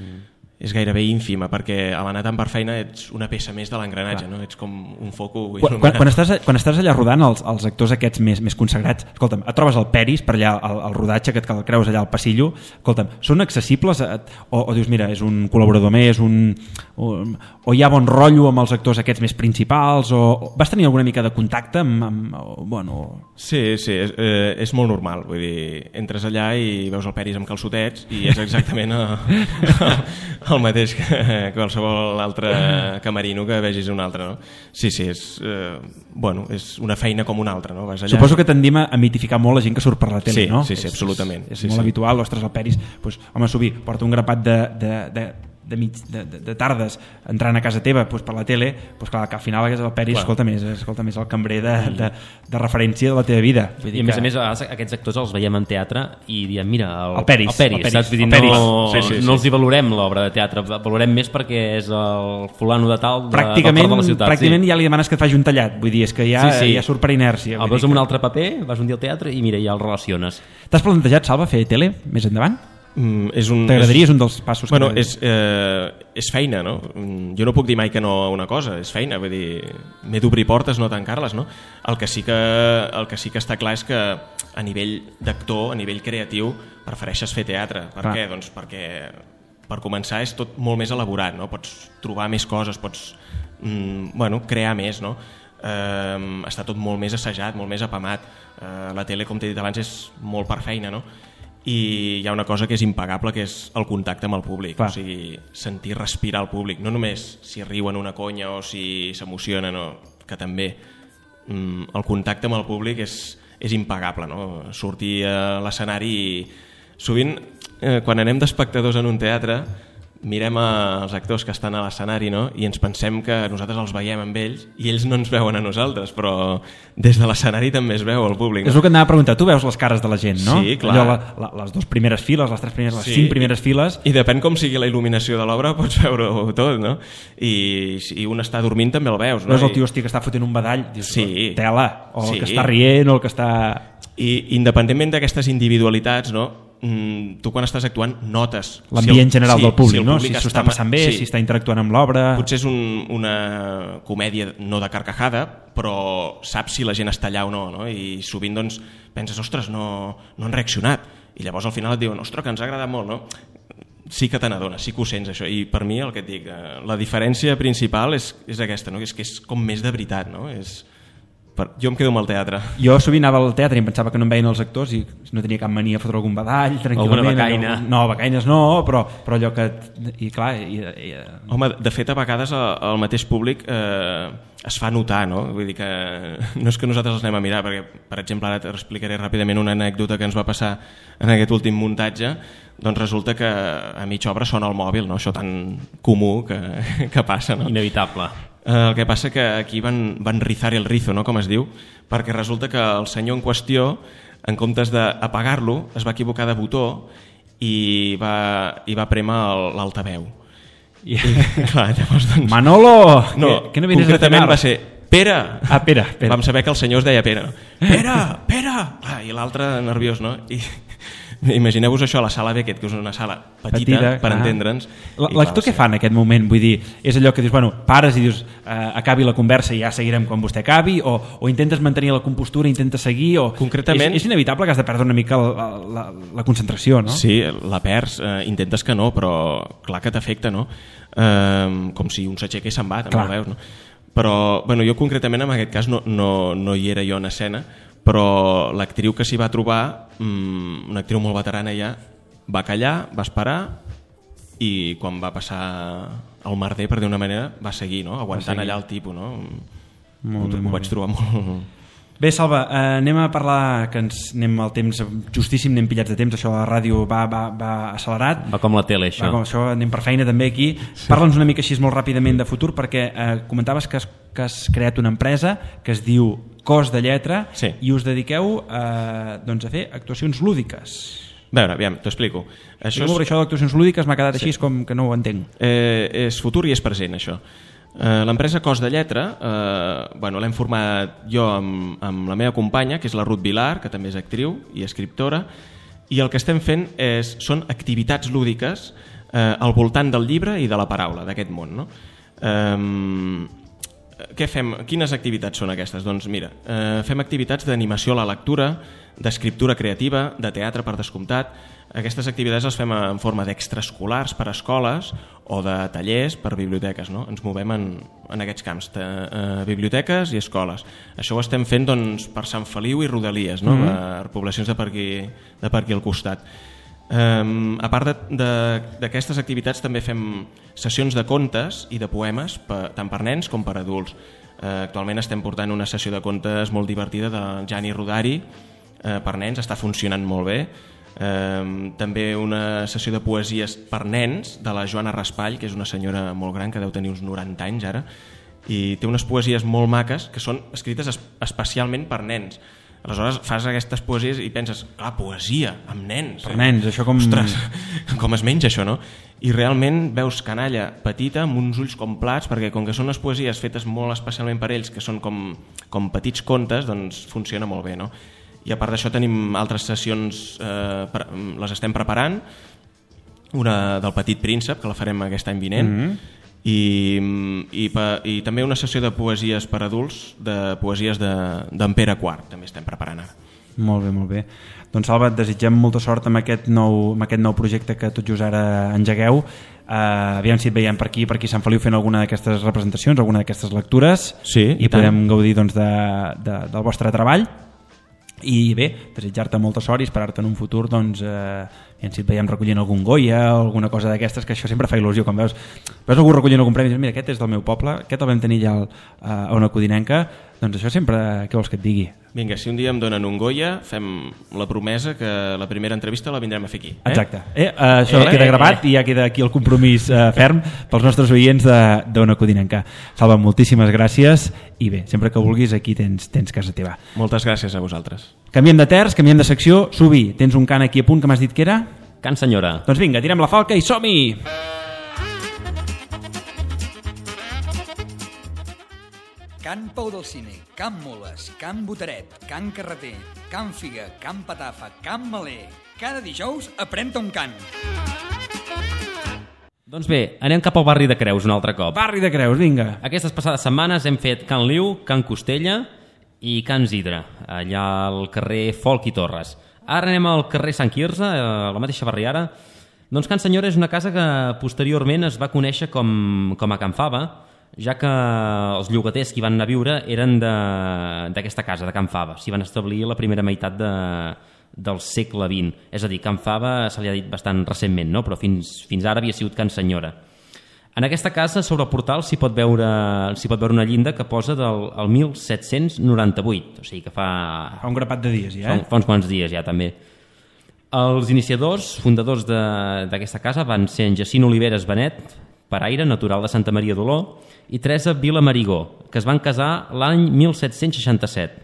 gairebé ínfima, perquè a l'anar tant per feina ets una peça més de l'engranatge, no? Ets com un foco... Quan estàs allà rodant els actors aquests més consagrats, escolta'm, et trobes el Peris per allà al rodatge, que et creus allà al passillo, escolta'm, són accessibles o dius, mira, és un col·laborador més, o hi ha bon rotllo amb els actors aquests més principals, o vas tenir alguna mica de contacte amb Sí, és molt normal, vull dir, entres allà i veus el Peris amb calçotets i és exactament el mateix que qualsevol altre camerino que vegis un altre, no? Sí, és una feina com una altra, no? Vas allà... Suposo que tendim a mitificar molt la gent que surt per la tele, no? Sí, absolutament. És molt habitual, ostres, el Peris, home, Subi, porta un grapat de tardes entrant a casa teva per la tele, clar, que al final el Peris escolta més el cambrer de referència de la teva vida. I a més a més aquests actors els veiem en teatre i diem, mira, el Peris, saps? Vull dir, no els hi valorem l'obra de teatre, valorem més perquè és el fulano de tal del cor de la ciutat. Pràcticament ja li demanes que et faci un tallat, vull dir, és que ja surt per inèrcia. El veus en un altre paper, vas un dia al teatre i mira, ja el relaciones. T'has plantejat, Salva, fer tele més endavant? T'agradaria? És un dels passos bueno, és feina, no? Jo no puc dir mai que no a una cosa, és feina, vull dir, m'he d'obrir portes, no tancar-les, no? El que sí que està clar és que a nivell d'actor, a nivell creatiu, prefereixes fer teatre. Per què? Doncs perquè per començar és tot molt més elaborat, no? Pots trobar més coses, pots crear més, no? Està tot molt més assajat, molt més apamat. La tele, com t'he dit abans, és molt per feina, no? I hi ha una cosa que és impagable, que és el contacte amb el públic. O sigui, sentir respirar el públic, no només si riuen una conya o si s'emocionen, que també el contacte amb el públic és impagable, no? Sortir a l'escenari i sovint quan anem d'espectadors en un teatre mirem els actors que estan a l'escenari, no? I ens pensem que nosaltres els veiem amb ells i ells no ens veuen a nosaltres, però des de l'escenari també es veu el públic, no? És el que anava a preguntar, tu veus les cares de la gent, no? Sí, clar. Allò, les 2 primeres files, les 3 primeres, les 5 primeres files. I depèn com sigui la il·luminació de l'obra, pots veure-ho tot, no? I si un està dormint també el veus, no? Veus el tio que està fotent un badall, dius, tela, o el que està rient, o el que està... I independentment d'aquestes individualitats, no? Tu quan estàs actuant notes l'ambient general del públic, no? Si s'ho està passant bé, si està interactuant amb l'obra. Potser és una comèdia no de carcajada, però saps si la gent està allà o no? I sovint doncs penses, ostres, no han reaccionat, i llavors al final et diuen, ostres, que ens ha agradat molt, no? Sí que te n'adones, sí que ho sents, això. I per mi, el que et dic, la diferència principal és aquesta, no? És que és com més de veritat, no? Jo em quedo amb el teatre. Jo sovint anava al teatre i em pensava que no em veien els actors i no tenia cap mania a fotre algun badall tranquil·lament. Alguna becaina. No, becaines no, però allò que... I clar... Home, de fet, a vegades el mateix públic es fa notar, no? Vull dir que no és que nosaltres els anem a mirar, perquè, per exemple, ara t'explicaré ràpidament una anècdota que ens va passar en aquest últim muntatge. Doncs resulta que a mitja obra sona el mòbil, no? Això tan comú que passa, no? Inevitable. El que passa que aquí van rizar el rizo, no? Com es diu, perquè resulta que el senyor en qüestió, en comptes d'apagar-lo, es va equivocar de botó i va prémer l'altaveu. I clar, llavors, doncs... Manolo! No, que no concretament va ser Pere! Ah, Pere. Vam saber que el senyor es deia Pere. Pere! Ah, i l'altre nerviós, no? Imagineu-vos això a la sala Beckett, que és una sala petita per entendre'ns. L'actor què fa en aquest moment? Vull dir, és allò que dius, bueno, pares i dius acabi la conversa i ja seguirem quan vostè acabi, o intentes mantenir la compostura, intentes seguir, o... Concretament... És inevitable que has de perdre una mica la concentració, no? Sí, la perds, intentes que no, però clar que t'afecta, no? Com si un s'aixeca i se'n va, també el veus, no? Però, bueno, jo concretament en aquest cas no hi era jo en escena, però l'actriu que s'hi va trobar, una actriu molt veterana ja, va callar, va esperar i quan va passar el merder, per dir una manera, va seguir, no? Aguantant allà el tipus, no? Ho vaig trobar molt... Bé, Salva, anem a parlar, que anem al temps justíssim, anem pillats de temps, això a la ràdio va accelerat. Va com la tele, això. Va com això, anem per feina també aquí. Parla'ns una mica així molt ràpidament de futur, perquè comentaves que has creat una empresa que es diu Cos de Lletra i us dediqueu a fer actuacions lúdiques. A veure, aviam, t'ho explico. Això d'actuacions lúdiques m'ha quedat així com que no ho entenc. És futur i és present, això. L'empresa Cos de Lletra l'hem format jo amb la meva companya, que és la Ruth Vilar, que també és actriu i escriptora, i el que estem fent són activitats lúdiques al voltant del llibre i de la paraula, d'aquest món, no? Què fem? Quines activitats són aquestes? Doncs mira, fem activitats d'animació a la lectura, d'escriptura creativa, de teatre per descomptat. Aquestes activitats les fem en forma d'extraescolars per a escoles o de tallers per a biblioteques, no? Ens movem en aquests camps, biblioteques i escoles. Això ho estem fent per Sant Feliu i Rodalies, no? Per poblacions de per aquí al costat. A part d'aquestes activitats també fem sessions de contes i de poemes tant per nens com per adults. Actualment estem portant una sessió de contes molt divertida del Gianni Rodari per nens, està funcionant molt bé. També una sessió de poesies per nens de la Joana Raspall, que és una senyora molt gran, que deu tenir uns 90 anys ara, i té unes poesies molt maques que són escrites especialment per nens. Aleshores fas aquestes poesies i penses, clar, poesia amb nens. Per nens, això com... Ostres, com es menja això, no? I realment veus canalla petita amb uns ulls com plats, perquè com que són unes poesies fetes molt especialment per ells, que són com petits contes, doncs funciona molt bé, no? I a part d'això tenim altres sessions, les estem preparant, una del Petit Príncep, que la farem aquest any vinent, i també una sessió de poesies per adults, de poesies d'en Pere IV, també estem preparant ara. Molt bé, molt bé. Doncs Salva, et desitgem molta sort amb aquest nou projecte que tot just ara engegueu. Aviam si et veiem per aquí a Sant Feliu fent alguna d'aquestes representacions, alguna d'aquestes lectures, sí, i podem gaudir doncs, del vostre treball. I bé, desitjar-te molta sort i esperar-te en un futur doncs, si et veiem recollint algun Goya o alguna cosa d'aquestes, que això sempre fa il·lusió quan veus algú recollint algun premi i dius, mira, aquest és del meu poble, aquest el vam tenir ja a una codinenca, doncs això sempre, què vols que et digui? Vinga, si un dia em donen un Goya, fem la promesa que la primera entrevista la vindrem a fer aquí. Exacte. Això queda gravat i ja queda aquí el compromís ferm pels nostres oients d'Ona Codinenca. Salva, moltíssimes gràcies i bé, sempre que vulguis aquí tens casa teva. Moltes gràcies a vosaltres. Canviem de terç, canviem de secció. Subi, tens un cant aquí a punt que m'has dit que era? Can Senyora. Doncs vinga, tirem la falca i som-hi! Can Pau del Cine, Can Moles, Can Botaret, Can Carreter, Can Figa, Can Patafa, Can Maler. Cada dijous aprèn-te un cant. Doncs bé, anem cap al barri de Creus un altre cop. Barri de Creus, vinga. Aquestes passades setmanes hem fet Can Liu, Can Costella i Can Zidra, allà al carrer Folk i Torres. Ara anem al carrer Sant Quirze, a la mateixa barriada. Doncs Can Senyora és una casa que posteriorment es va conèixer com a Can Fava, ja que els llogaters que hi van anar a viure eren d'aquesta casa, de Can Fava. S'hi van establir la primera meitat del segle XX. És a dir, Can Fava se li ha dit bastant recentment, no? Però fins ara havia sigut Can Senyora. En aquesta casa, sobre el portal, s'hi pot veure una llinda que posa del 1798, o sigui que fa un grapat de dies ja, Fa uns quants dies ja, també. Els iniciadors, fundadors d'aquesta casa van ser en Jacint Oliveres Benet, paraire, natural de Santa Maria d'Oló, i Teresa Vila Marigó, que es van casar l'any 1767.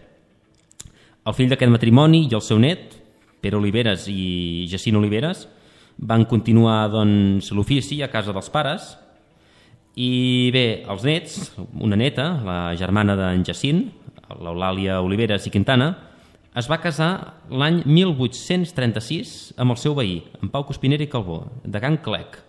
El fill d'aquest matrimoni i el seu net, Pere Oliveres i Jacint Oliveres, van continuar doncs, l'ofici a casa dels pares, i bé, els nets, una neta, la germana d'en Jacint, l'Eulàlia Oliveres i Quintana, es va casar l'any 1836 amb el seu veí, en Pau Cuspinera i Calbó, de Can Clec.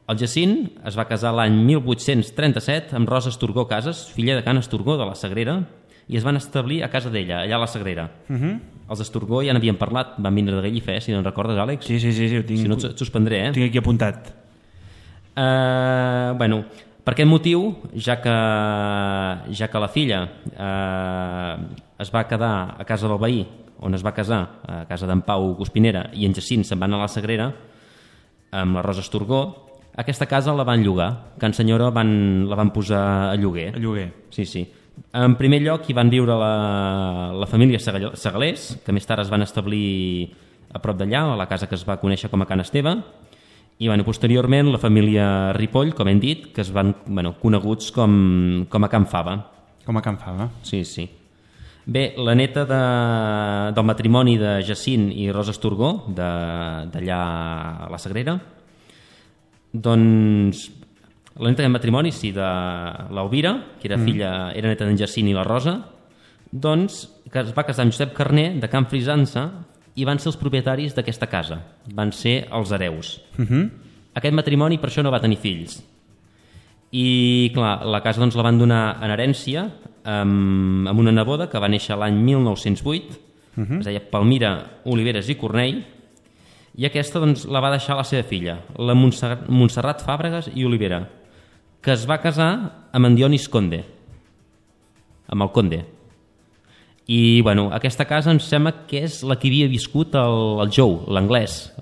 El Jacint es va casar l'any 1837 amb Rosa Esturgó Casas, filla de Can Esturgó de la Sagrera, i es van establir a casa d'ella, allà a la Sagrera. Els Esturgó ja n'havien parlat, van vindre de Gallifé, si no en recordes, Àlex? Sí, ho tinc. Si no et suspendré, Ho tinc aquí apuntat. Bueno, per aquest motiu, ja que la filla es va quedar a casa del veí, on es va casar, a casa d'en Pau Cuspinera, i en Jacint se'n van anar a la Sagrera amb la Rosa Esturgó, aquesta casa la van llogar. Can Senyora la van posar a lloguer. A lloguer. Sí. En primer lloc hi van viure la família Segalés, que més tard es van establir a prop d'allà, a la casa que es va conèixer com a Can Esteve, i posteriorment la família Ripoll, com hem dit, que es van coneguts com a Can Fava. Com a Can Fava. Sí. Bé, la neta del matrimoni de Jacint i Rosa Esturgó, d'allà a la Sagrera, doncs la neta del matrimoni, sí, de l'Elvira, que era neta d'en Jacint i la Rosa, doncs que es va casar amb Josep Carner de Can Frisança i van ser els propietaris d'aquesta casa, van ser els hereus. Aquest matrimoni per això no va tenir fills i clar, la casa doncs la van donar en herència amb una neboda que va néixer l'any 1908, es deia Palmira Oliveres i Cornell, i aquesta doncs, la va deixar a la seva filla, la Montserrat Fàbregas i Olivera, que es va casar amb en Dionis Conde, amb el Conde. I aquesta casa em sembla que és la que havia viscut el Joe, l'anglès.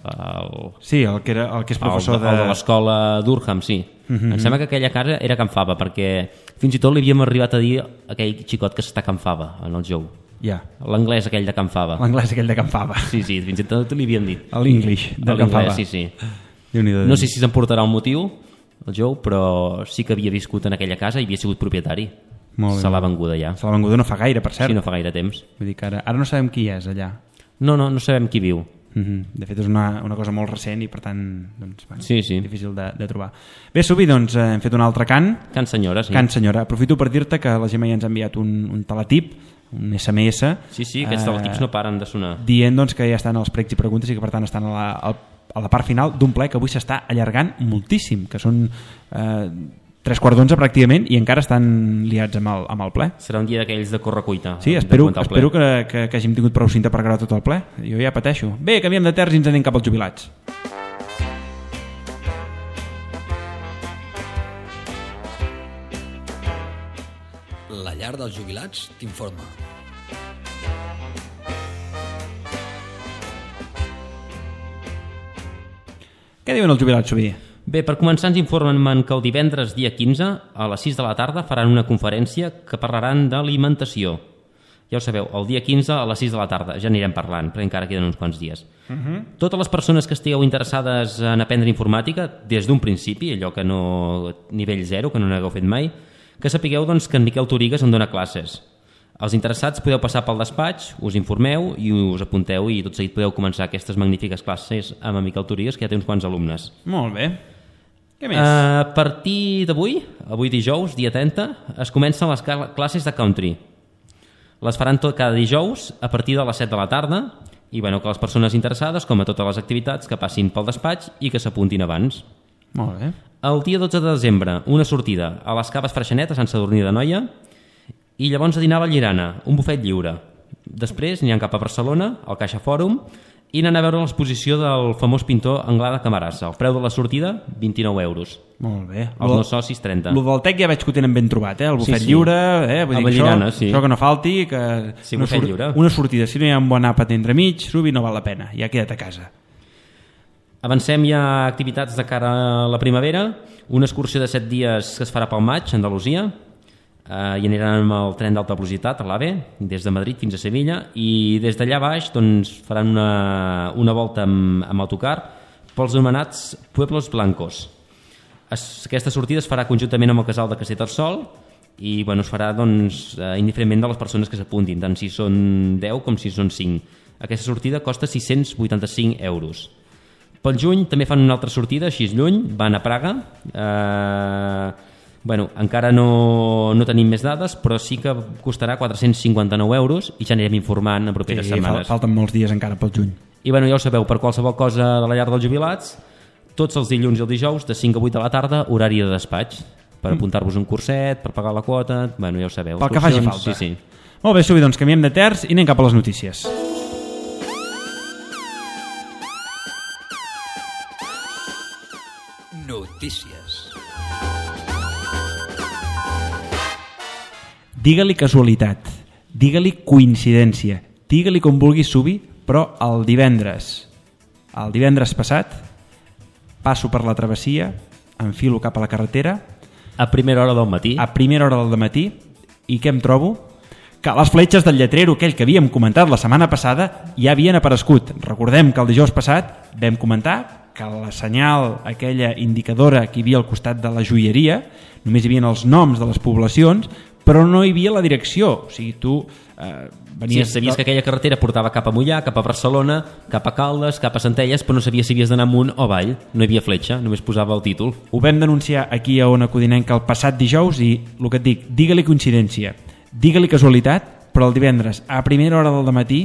Sí, el que és professor de l'escola d'Urham, sí. Em sembla que aquella casa era Can Fava, perquè fins i tot li havíem arribat a dir aquell xicot que s'està Can Fava, en el Joe. Ja. L'anglès aquell de Can Fava. L'anglès aquell de Can Fava. Sí, fins i tot li havien dit. L'English de Can Fava. Sí. No sé si s'emportarà un motiu, el Joe, però sí que havia viscut en aquella casa i havia sigut propietari. Se l'ha venguda ja. Se l'ha venguda no fa gaire, per cert. Sí, no fa gaire temps. Vull dir que ara no sabem qui és allà. No sabem qui viu. De fet és una cosa molt recent i per tant doncs, sí. difícil de trobar. Bé, Subi, doncs hem fet un altre cant. Cant senyora, sí. Cant senyora. Aprofito per dir-te que la Gemma ja ens ha enviat un teletip, un SMS. Sí, aquests teletips no paren de sonar. Dient doncs, que ja estan els pregs i preguntes i que per tant estan a la part final d'un ple que avui s'està allargant moltíssim, que són 3:15 pràcticament i encara estan liats amb el ple. Serà un dia d'aquells de correcuita. Sí, espero que hàgim tingut prou cinta per gravar tot el ple. Jo ja pateixo. Bé, canviem de terç i ens anem cap als jubilats. La llar dels jubilats t'informa. Què diuen els jubilats, Subi? Bé, per començar ens informen que el divendres dia 15 a les 6 de la tarda faran una conferència que parlaran d'alimentació. Ja ho sabeu, el dia 15 a les 6 de la tarda, ja anirem parlant, perquè encara queden uns quants dies. Totes les persones que estigueu interessades en aprendre informàtica, des d'un principi, allò que no... nivell 0, que no n'hagueu fet mai, que sapigueu doncs, que en Miquel Torigues en dona classes. Els interessats podeu passar pel despatx, us informeu i us apunteu i tot seguit podeu començar aquestes magnífiques classes amb en Miquel Torigues, que ja té uns quants alumnes. Molt bé. Què més? A partir d'avui, avui dijous, dia 30, es comencen les classes de country. Les faran cada dijous a partir de les 7 de la tarda i que les persones interessades, com a totes les activitats, que passin pel despatx i que s'apuntin abans. Molt bé. El dia 12 de desembre, una sortida a les Caves Freixenet, a Sant Sadurní d'Anoia, i llavors a dinar a Vallirana, un bufet lliure. Després aniran cap a Barcelona, al Caixa Fòrum, i anar a veure l'exposició del famós pintor Anglada Camarasa. El preu de la sortida, 29 euros. Molt bé. Els no socis, 30. El del TEC ja veig que ho tenen ben trobat, el bufet lliure, vull dir Vallirana, això que no falti, que sí, bufet lliure. Una sortida, si no hi ha un bon àpat entremig, Subi, no val la pena, ja queda't a casa. Avancem ja a activitats de cara a la primavera, una excursió de 7 dies que es farà pel maig, a Andalusia, i aniran amb el tren d'alta velocitat a l'AVE des de Madrid fins a Sevilla i des d'allà baix doncs, faran una volta amb autocar pels anomenats Pueblos Blancos. Aquesta sortida es farà conjuntament amb el casal de Castellterçol i es farà doncs, indiferentment de les persones que s'apuntin, tant si són 10 com si són 5. Aquesta sortida costa 685 euros. Pel juny també fan una altra sortida, així lluny, van a Praga. Encara no tenim més dades, però sí que costarà 459 euros i ja anirem informant en properes setmanes. Falten molts dies encara pel juny. I ja ho sabeu, per qualsevol cosa de la llar dels jubilats, tots els dilluns i els dijous, de 5 a 8 de la tarda, horari de despatx, per apuntar-vos un curset, per pagar la quota, ja ho sabeu. Pel que faci falta. Sí. Molt bé, Subi, doncs canviem de terç i anem cap a les notícies. Notícies. Digue-li casualitat, digue-li coincidència, digue-li com vulguis, Subi, però el divendres passat passo per la travessia, enfilo cap a la carretera a primera hora del matí i què em trobo? Que les fletxes del lletrero, aquell que havíem comentat la setmana passada, ja havien aparegut. Recordem que el dijous passat vam comentar que la senyal, aquella indicadora que hi havia al costat de la joieria, només hi havia els noms de les poblacions, però no hi havia la direcció. O sigui, tu venies... Sí, sabies que aquella carretera portava cap a Mollà, cap a Barcelona, cap a Caldes, cap a Centelles, però no sabies si havies d'anar amunt o avall. No hi havia fletxa, només posava el títol. Ho vam denunciar aquí a Ona Codinenca el passat dijous i el que et dic, digue-li coincidència, digue-li casualitat, però el divendres a primera hora del matí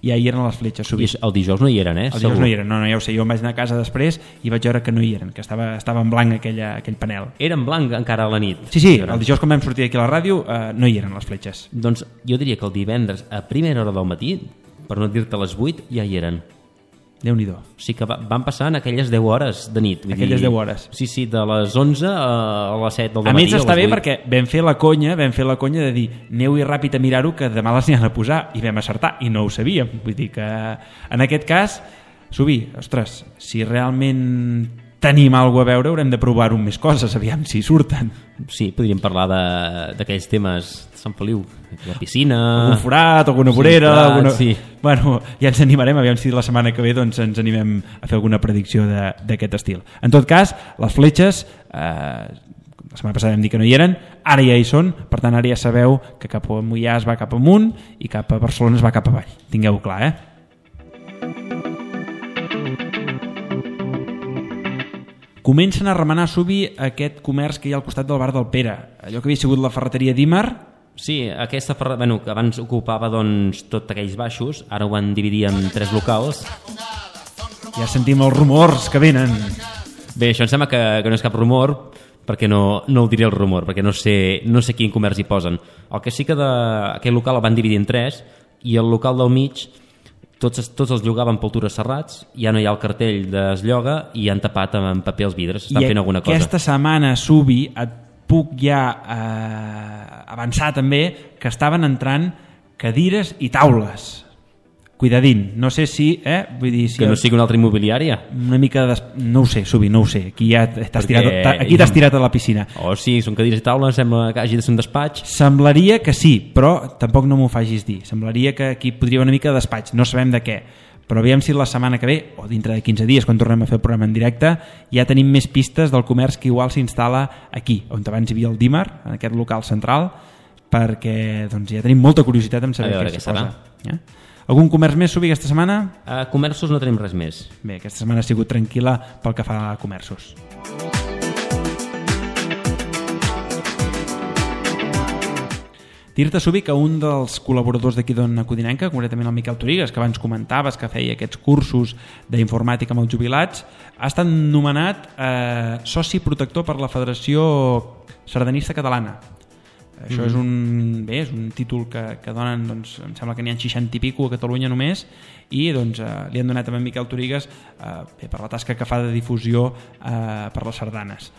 ja hi eren les fletxes. I el dijous no hi eren, El dijous no hi eren, no, ja ho sé, jo em vaig anar a casa després i vaig veure que no hi eren, que estava en blanc aquell panel. Era en blanc encara a la nit? Sí, el dijous quan vam sortir aquí a la ràdio no hi eren les fletxes. Doncs jo diria que el divendres a primera hora del matí, per no dir-te a les 8, ja hi eren. Déu-n'hi-do. O sigui que van passar en aquelles 10 hores de nit. Aquelles 10 hores. Sí, de les 11 a les 7 del matí. A més està bé perquè vam fer la conya de dir aneu-hi ràpid a mirar-ho que demà les n'hi han a posar i vam acertar i no ho sabíem. Vull dir que en aquest cas, Subi, ostres, si realment tenim alguna a veure, haurem de provar-ho amb més coses, aviam si surten. Sí, podríem parlar d'aquells temes de Sant Feliu, la piscina... Algun forat, alguna vorera... forat, alguna... sí. Bueno, ja ens animarem, aviam si la setmana que ve doncs, ens animem a fer alguna predicció d'aquest estil. En tot cas, les fletxes, la setmana passada vam dir que no hi eren, ara ja hi són, per tant ara ja sabeu que cap a Moià es va cap amunt i cap a Barcelona es va cap avall. Tingueu-ho clar, Comencen a remenar a Subi aquest comerç que hi ha al costat del bar del Pere, allò que havia sigut la ferreteria d'Ímar. Sí, aquesta ferreteria, que abans ocupava doncs, tot aquells baixos, ara ho van dividir en 3 locals. Ja sentim els rumors que venen. Bé, això em sembla que no és cap rumor, perquè no el diré el rumor, perquè no sé quin comerç hi posen. El que sí que aquell local el van dividir en 3 i el local del mig tots els llogaven pel Tures Serrats, ja no hi ha el cartell es lloga i han tapat amb paper els vidres, estan fent alguna cosa. I aquesta setmana, Subi, et puc ja avançar també que estaven entrant cadires i taules. Cuidadín, no sé si... Vull dir, si que no sigui una altra immobiliària? Una mica de... No ho sé, Subi, no ho sé. Aquí ja t'has tirat a la piscina. Oh, sí, són cadires i taules, sembla que hagi de ser un despatx. Semblaria que sí, però tampoc no m'ho facis dir. Semblaria que aquí podria haver una mica de despatx, no sabem de què. Però aviam si la setmana que ve, o dintre de 15 dies, quan tornem a fer el programa en directe, ja tenim més pistes del comerç que igual s'instal·la aquí, on abans hi havia el Dímar, en aquest local central, perquè doncs, ja tenim molta curiositat en saber què serà. Algun comerç més, Subi, aquesta setmana? Comerços no tenim res més. Bé, aquesta setmana ha sigut tranquil·la pel que fa a comerços. Dir-te, Subi, que un dels col·laboradors d'aquí d'Ona Codinenca, concretament el Miquel Torigues, que abans comentaves que feia aquests cursos d'informàtica amb els jubilats, ha estat nomenat soci protector per la Federació Sardanista Catalana. Això és un títol que donen, doncs, em sembla que n'hi ha 60 i pico a Catalunya només, i doncs, li han donat a Miquel Torigues per la tasca que fa de difusió per les sardanes.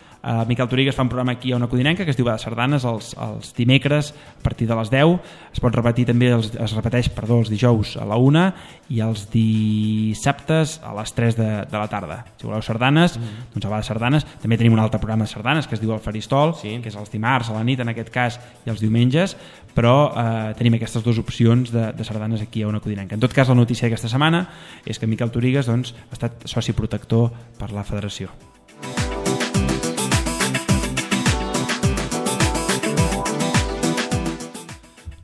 Miquel Torigues fa un programa aquí a Ona Codinenca que es diu de Sardanes els dimecres a partir de les 10, es pot repetir també, es repeteix els dijous a la 1 i els dissabtes a les 3 de la tarda. Si voleu sardanes, doncs a va de sardanes. També tenim un altre programa de sardanes que es diu El Faristol, que és els dimarts a la nit en aquest cas i els diumenges, però tenim aquestes dues opcions de sardanes aquí a Ona Codinenca. En tot cas, la notícia d'aquesta setmana és que Miquel Torigues doncs, ha estat soci protector per la federació.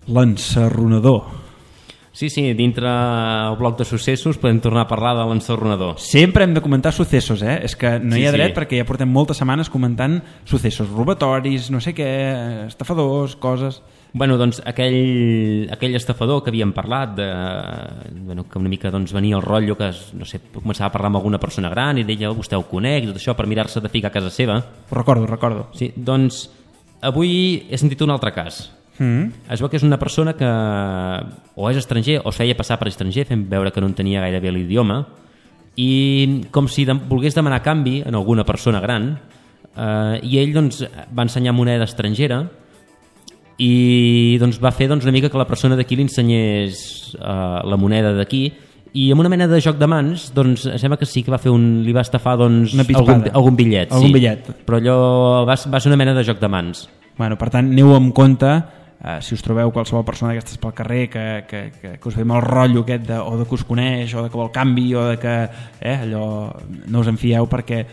L'ensarronador. Sí, dintre el bloc de successos podem tornar a parlar de l'ensarronador. Sempre hem de comentar successos, és que no hi ha dret perquè ja portem moltes setmanes comentant successos, robatoris, no sé què, estafadors, coses... Bueno, doncs aquell estafador que havíem parlat, que una mica doncs, venia el rotllo que no sé, començava a parlar amb alguna persona gran i deia, vostè ho conec, i tot això per mirar-se de ficar a casa seva. Ho recordo. Sí, doncs avui he sentit un altre cas. Es veu que és una persona que o és estranger o es feia passar per estranger, fent veure que no entenia gairebé l'idioma, i com si volgués demanar canvi en alguna persona gran, i ell doncs, va ensenyar moneda estrangera i doncs, va fer una mica que la persona d'aquí li ensenyés la moneda d'aquí, i amb una mena de joc de mans doncs, sembla que sí que li va estafar doncs, algun bitllet, però allò va ser una mena de joc de mans. Bueno, per tant, aneu amb compte, si us trobeu qualsevol persona d'aquestes pel carrer que us ve el rotllo aquest o de que us coneix o de que vol canvi o de que allò no us en fieu perquè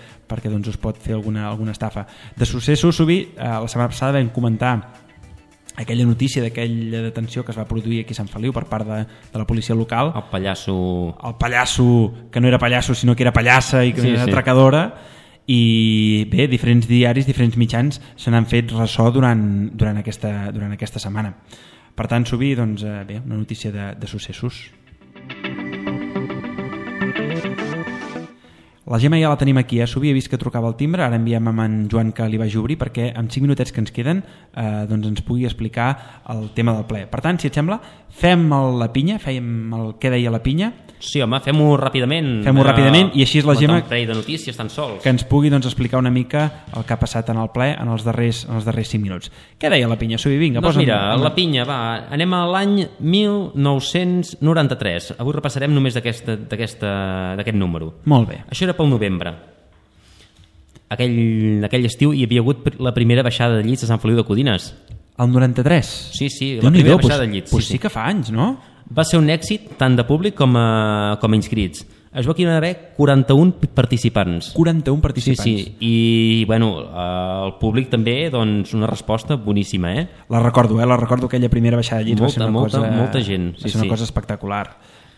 doncs, us pot fer alguna estafa. De successos, Subi, la setmana passada vam comentar aquella notícia d'aquella detenció que es va produir aquí a Sant Feliu per part de la policia local. El pallasso que no era pallasso sinó que era pallassa i que era atracadora. I bé, diferents diaris, diferents mitjans se n'han fet ressò durant aquesta setmana. Per tant, Subi, doncs, bé, una notícia de successos. La Gemma ja la tenim aquí, Subi, he vist que trucava el timbre, ara enviem amb en Joan que li vagi a obrir perquè en 5 minutets que ens queden doncs ens pugui explicar el tema del ple. Per tant, si et sembla, fem la pinya, fèiem el què deia la pinya. Sí, home, fem-ho ràpidament. I així és la Gemma un parell de notícies tan sols. Que ens pugui doncs, explicar una mica el que ha passat en el ple en els darrers 5 minuts. Què deia la pinya, Subi? Vinga, doncs mira, la pinya, anem a l'any 1993. Avui repassarem només d'aquest número. Molt bé. Això era pel novembre. aquell estiu hi havia hagut la primera baixada de llits a Sant Feliu de Codines. El 93? Sí, la primera baixada de llits. Sí que fa anys, no? Va ser un èxit tant de públic com a inscrits. Es va haver 41 participants. 41 participants. Sí. I, bueno, el públic també, doncs, una resposta boníssima, La recordo, aquella primera baixada de llits. Molta gent. Va ser una cosa espectacular.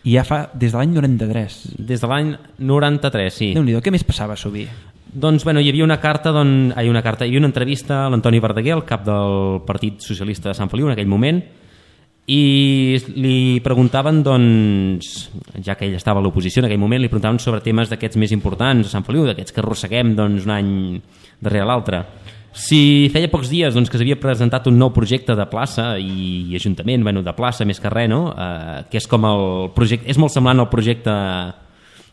I ja fa des de l'any 93. Des de l'any 93, sí. Déu-n'hi-do, què més passava a Subí? Doncs, bueno, hi havia una entrevista a l'Antoni Verdaguer, el cap del Partit Socialista de Sant Feliu en aquell moment, i li preguntaven, doncs, ja que ell estava a l'oposició en aquell moment, li preguntaven sobre temes d'aquests més importants a Sant Feliu, d'aquests que arrosseguem un any darrere l'altre. Si feia pocs dies que s'havia presentat un nou projecte de plaça i ajuntament, de plaça més que res, no? Que és com el projecte, és molt semblant al projecte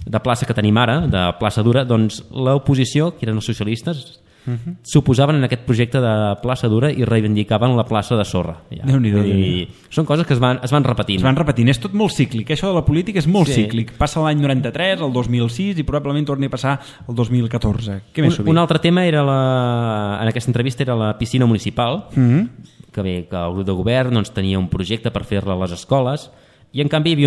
de plaça que tenim ara, de plaça dura, doncs l'oposició, que eren els socialistes, s'oposaven en aquest projecte de plaça dura i reivindicaven la plaça de sorra. Déu-n'hi-do. Són coses que es van repetint. Es van repetint, és tot molt cíclic, això de la política és molt cíclic. Passa l'any 93, el 2006 i probablement torni a passar el 2014. Què més un altre tema era en aquesta entrevista era la piscina municipal, que el grup de govern tenia un projecte per fer-la a les escoles, i en canvi hi havia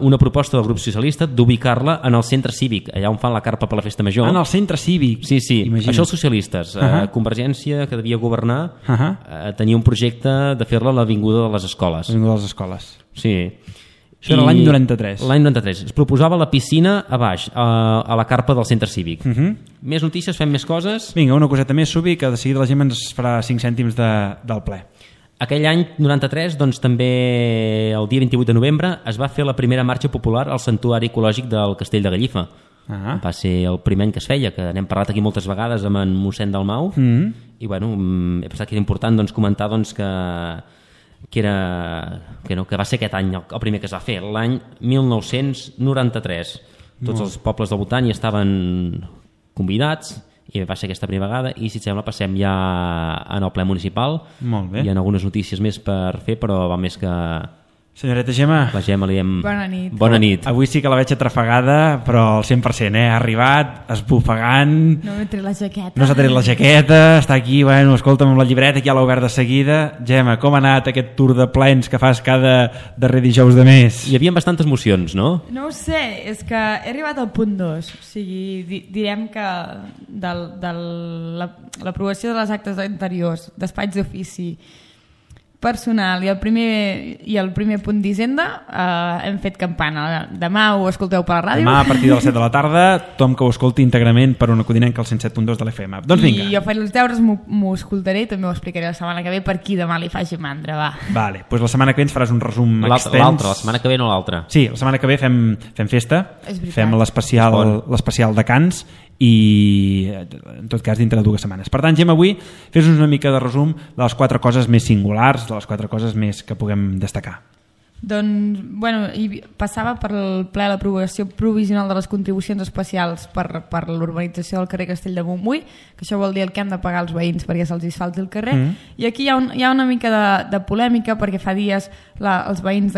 una proposta del grup socialista d'ubicar-la en el centre cívic, allà on fan la carpa per la festa major. En el centre cívic? Sí. Imagina't. Això els socialistes. Convergència, que devia governar, tenia un projecte de fer-la a l'Avinguda de les Escoles. L'Avinguda de les Escoles. Sí. Això era l'any 93. L'any 93. Es proposava la piscina a baix, a la carpa del centre cívic. Més notícies, fem més coses. Vinga, una coseta més, Subi, que de seguida la gent ens farà 5 cèntims del ple. Aquell any 93, doncs també el dia 28 de novembre es va fer la primera marxa popular al Santuari Ecològic del Castell de Gallifa. Va ser el primer any que es feia, que n'hem parlat aquí moltes vegades amb en mossèn Dalmau, i bueno, he pensat que era important comentar que va ser aquest any el primer que es va fer, l'any 1993. Tots els pobles del voltant hi estaven convidats, i va ser aquesta primera vegada, i si et sembla passem ja en el ple municipal. Molt bé. Hi ha algunes notícies més per fer, però val més que Senyoreta Gemma. La Gemma li hem... Bona nit. Bona nit. Avui sí que la veig atrafegada, però al 100%, Ha arribat, esbufegant... No m'he tret la jaqueta. No s'ha tret la jaqueta, està aquí, bueno, escolta'm, amb la llibreta, que ja l'ha obert de seguida. Gemma, com ha anat aquest tour de plens que fas cada darrer dijous de mes? Hi havia bastantes mocions, no? No ho sé, és que he arribat al punt 2. O sigui, direm que de l'aprovació de les actes anteriors, despatx d'ofici, personal i el primer punt d'Hisenda hem fet campana. Demà ho escolteu per la ràdio. Demà a partir de les 7 de la tarda, tothom que ho escolti íntegrament per una codinenca al 107.2 de l'FM. Doncs vinga. I jo faig els deures, m'ho escoltaré i també ho explicaré la setmana que ve per qui demà li faci mandra, va. Vale, doncs la setmana que ve ens faràs un resum extens. L'altra, la setmana que ve no l'altra. Sí, la setmana que ve fem festa, fem l'especial de Cants i en tot cas dintre de 2 setmanes. Per tant, Gemma, avui fes-nos una mica de resum de les 4 coses més singulars, de les 4 coses més que puguem destacar. Doncs, bueno, passava per el ple l'aprovació provisional de les contribucions especials per l'urbanització del carrer Castell de Montbui, que això vol dir el que han de pagar els veïns perquè se'ls asfalti el carrer, i aquí hi ha una mica de polèmica perquè fa dies els veïns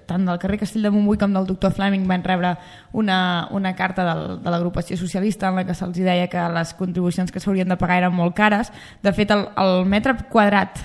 tant del carrer Castell de Montbui com del doctor Fleming van rebre una carta de l'agrupació socialista en la que se'ls deia que les contribucions que s'haurien de pagar eren molt cares. De fet, el metre quadrat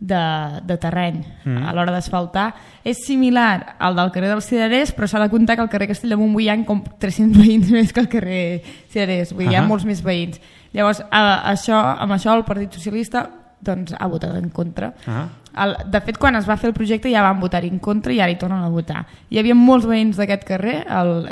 de terreny a l'hora d'asfaltar és similar al del carrer dels Cirerers, però s'ha de comptar que al carrer Castell de Montbui hi ha com 300 veïns més que al carrer Cirerers, vull dir, hi ha molts més veïns. Llavors, amb això el Partit Socialista doncs, ha votat en contra. De fet, quan es va fer el projecte ja van votar en contra i ara hi tornen a votar. Hi havia molts veïns d'aquest carrer,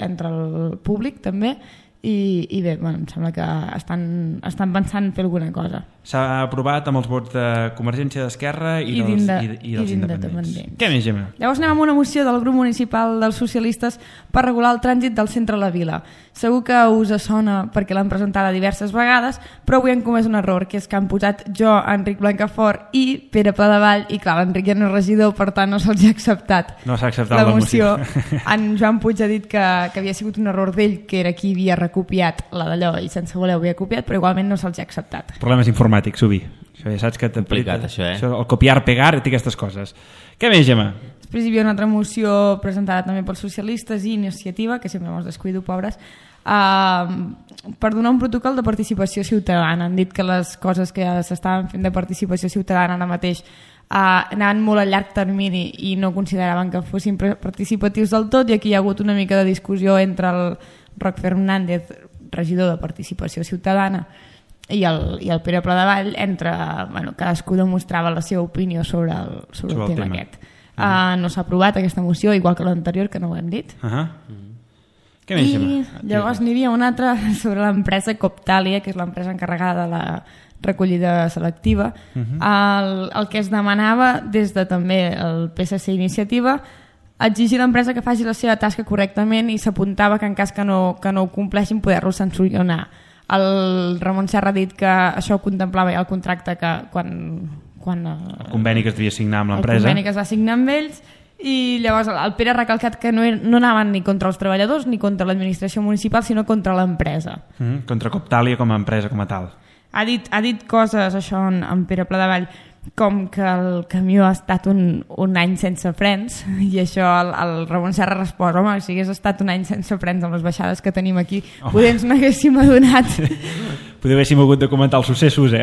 entre el públic també, i bé, bueno, em sembla que estan pensant en fer alguna cosa. S'ha aprovat amb els vots de Convergència, d'Esquerra i dels independents. Què més, Gemma? Llavors anem amb una moció del grup municipal dels socialistes per regular el trànsit del centre de la vila. Segur que us sona perquè l'han presentada diverses vegades, però avui han comès un error, que és que han posat jo, Enric Blancafort i Pere Pladevall, i clar, l'Enric ja no és regidor, per tant no se'ls ha acceptat. No s'ha acceptat la moció. En Joan Puig ha dit que havia sigut un error d'ell, que era qui havia recopiat la d'allò i sense voler ho havia copiat, però igualment no se'ls ha acceptat. Problemes informàtics, Subi. Això ja saps que complicat, això, el copiar, pegar i aquestes coses. Què més, Gemma? Després hi havia una altra moció presentada també pels socialistes i Iniciativa, que sempre ens descuido, pobres, per donar un protocol de participació ciutadana. Han dit que les coses que s'estaven fent de participació ciutadana ara mateix anaven molt a llarg termini i no consideraven que fossin participatius del tot, i aquí hi ha hagut una mica de discussió entre el Roc Fernández, regidor de Participació Ciutadana, i el Pere Pladevall, cadascú demostrava la seva opinió sobre el tema aquest. No s'ha aprovat aquesta moció, igual que l'anterior, que no ho hem dit. Què més, I llavors n'hi havia una altra sobre l'empresa Coptalia, que és l'empresa encarregada de la recollida selectiva. El que es demanava des de també el PSC Iniciativa, exigir a l'empresa que faci la seva tasca correctament, i s'apuntava que en cas que no ho compleixin poder-lo sancionar. El Ramon Serra ha dit que això ho contemplava ja el contracte que quan el conveni que es devia signar amb l'empresa. El conveni que es va signar amb ells, i llavors el Pere ha recalcat que no anaven ni contra els treballadors ni contra l'administració municipal, sinó contra l'empresa. Contra Coptalia com a empresa, com a tal. Ha dit coses, això, en Pere Pladevall, com que el camió ha estat un any sense frens, i això el Ramon Serra respon: home, si hagués estat un any sense frens amb les baixades que tenim aquí, poder ens n'haguéssim adonat. Poder haguéssim hagut de comentar els successos,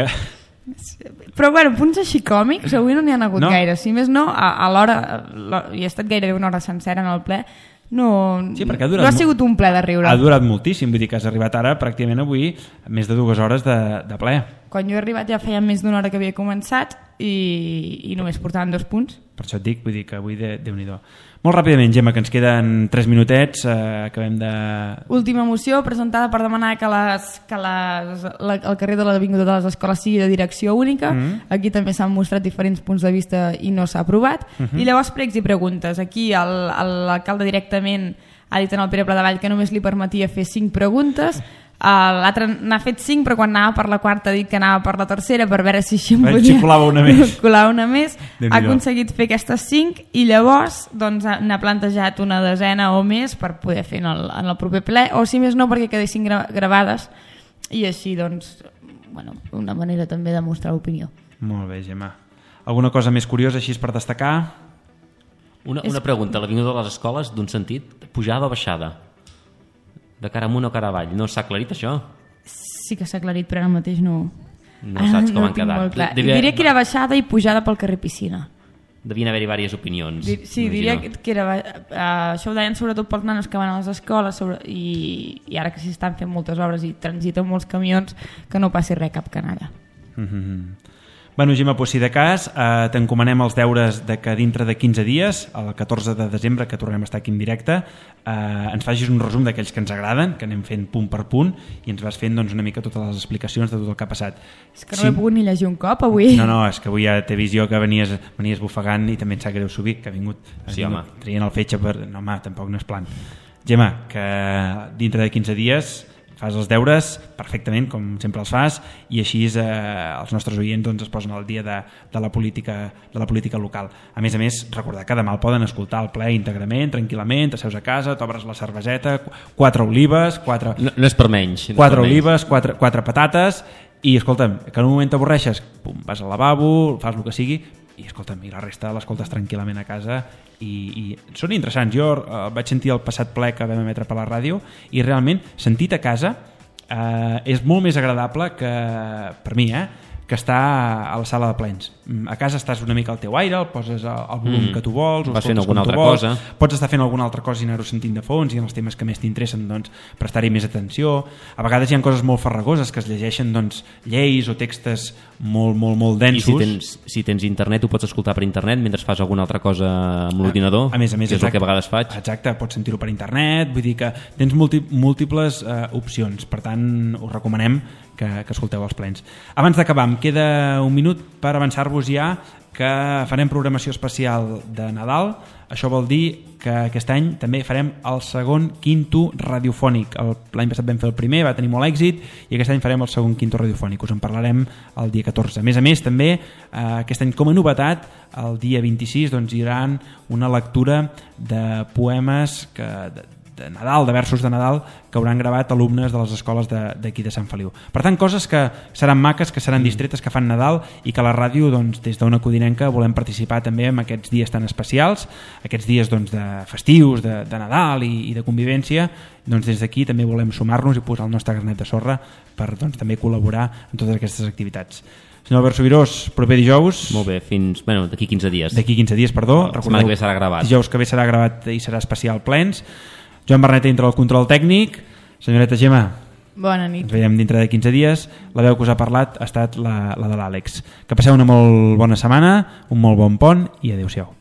Però bueno, punts així còmics avui no n'hi ha hagut gaire. Si més no, a l'hora, i ha estat gairebé una hora sencera en el ple, no ha sigut un ple de riure. Ha durat moltíssim, vull dir que has arribat ara pràcticament avui més de 2 hores de ple. Quan jo he arribat ja feia més d'una hora que havia començat i només portaven 2 punts. Per això et dic, vull dir que avui Déu-n'hi-do. Molt ràpidament, Gemma, que ens queden 3 minutets, acabem de... Última moció presentada per demanar que el carrer de l'Avinguda de les Escoles sigui de direcció única. Aquí també s'han mostrat diferents punts de vista i no s'ha aprovat. I llavors pregs i preguntes. Aquí l'alcalde directament ha dit en el Pere Pladevall que només li permetia fer 5 preguntes. L'altre n'ha fet 5, però quan anava per la quarta ha dit que anava per la tercera per veure si així colava una més. Ha aconseguit fer aquestes 5 i llavors n'ha plantejat una desena o més per poder fer en el proper ple, o si més no perquè quedessin gravades, i així una manera també de mostrar opinió. Molt bé, Gemma. Alguna cosa més curiosa així per destacar? Una pregunta: l'Avinguda de les Escoles, d'un sentit, pujada o baixada? De cara amunt o cara avall? No s'ha aclarit això? Sí que s'ha aclarit, però ara mateix no saps com han quedat. Diria que era baixada i pujada pel carrer Piscina. Devien haver-hi diverses opinions. Sí, diria que era... això ho deien sobretot pels nanos que van a les escoles, i ara que s'hi estan fent moltes obres i transiten molts camions, que no passi res, cap canalla. Bueno, Gemma, si de cas t'encomanem els deures de que dintre de 15 dies, el 14 de desembre, que tornem a estar aquí en directe, ens facis un resum d'aquells que ens agraden, que anem fent punt per punt, i ens vas fent una mica totes les explicacions de tot el que ha passat. És que no he pogut ni llegir un cop avui. No, és que avui ja t'he vist jo que venies bufegant, i també em sap greu subir, que ha vingut traient el fetge per... No, home, tampoc no és plan. Gemma, que dintre de 15 dies fas els deures perfectament, com sempre els fas, i així els nostres oients es posen al dia de la política local. A més, recordar que demà el poden escoltar al ple íntegrament, tranquil·lament, t'asseus a casa, t'obres la cerveseta, 4 olives, 4... No és per menys. 4 olives, 4 patates, i escolta'm, que en un moment t'avorreixes, vas al lavabo, fas el que sigui, i escolta'm, i la resta l'escoltes tranquil·lament a casa, i són interessants. Jo vaig sentir el passat ple que vam emetre per la ràdio, i realment sentit a casa és molt més agradable que, per mi, que estar a la sala de plens. A casa estàs una mica al teu aire, el poses al volum que tu vols, vas fent alguna altra cosa, pots estar fent alguna altra cosa i anar-ho sentint de fons, i en els temes que més t'interessen prestar-hi més atenció. A vegades hi ha coses molt farragoses que es llegeixen lleis o textos molt densos. I si tens internet ho pots escoltar per internet mentre fas alguna altra cosa amb l'ordinador, que és el que a vegades faig. Exacte, pots sentir-ho per internet, vull dir que tens múltiples opcions, per tant us recomanem que escolteu els plens. Abans d'acabar, em queda un minut per avançar-vos ja que farem programació especial de Nadal. Això vol dir que aquest any també farem el segon quinto radiofònic. L'any passat vam fer el primer, va tenir molt èxit, i aquest any farem el segon quinto radiofònic. Us en parlarem el dia 14. A més, també, aquest any com a novetat, el dia 26 hi haurà una lectura de poemes de Nadal, de versos de Nadal que hauran gravat alumnes de les escoles d'aquí de Sant Feliu. Per tant, coses que seran maques, que seran distretes, que fan Nadal i que a la ràdio, doncs, des d'Ona Codinenca volem participar també en aquests dies tan especials, aquests dies doncs, de festius, de Nadal i de convivència. Doncs des d'aquí també volem sumar-nos i posar el nostre granet de sorra per doncs, també col·laborar en totes aquestes activitats. Senyor Albert Subirós, proper dijous... Molt bé, fins... Bueno, d'aquí 15 dies. D'aquí 15 dies, perdó. La setmana que ve serà gravat. Dijous que ve serà gravat i serà especial plens. Joan Berneta dintre del control tècnic. Senyoreta Gemma, bona nit. Ens veiem dintre de 15 dies. La veu que us ha parlat ha estat la de l'Àlex. Que passeu una molt bona setmana, un molt bon pont i adéu-siau.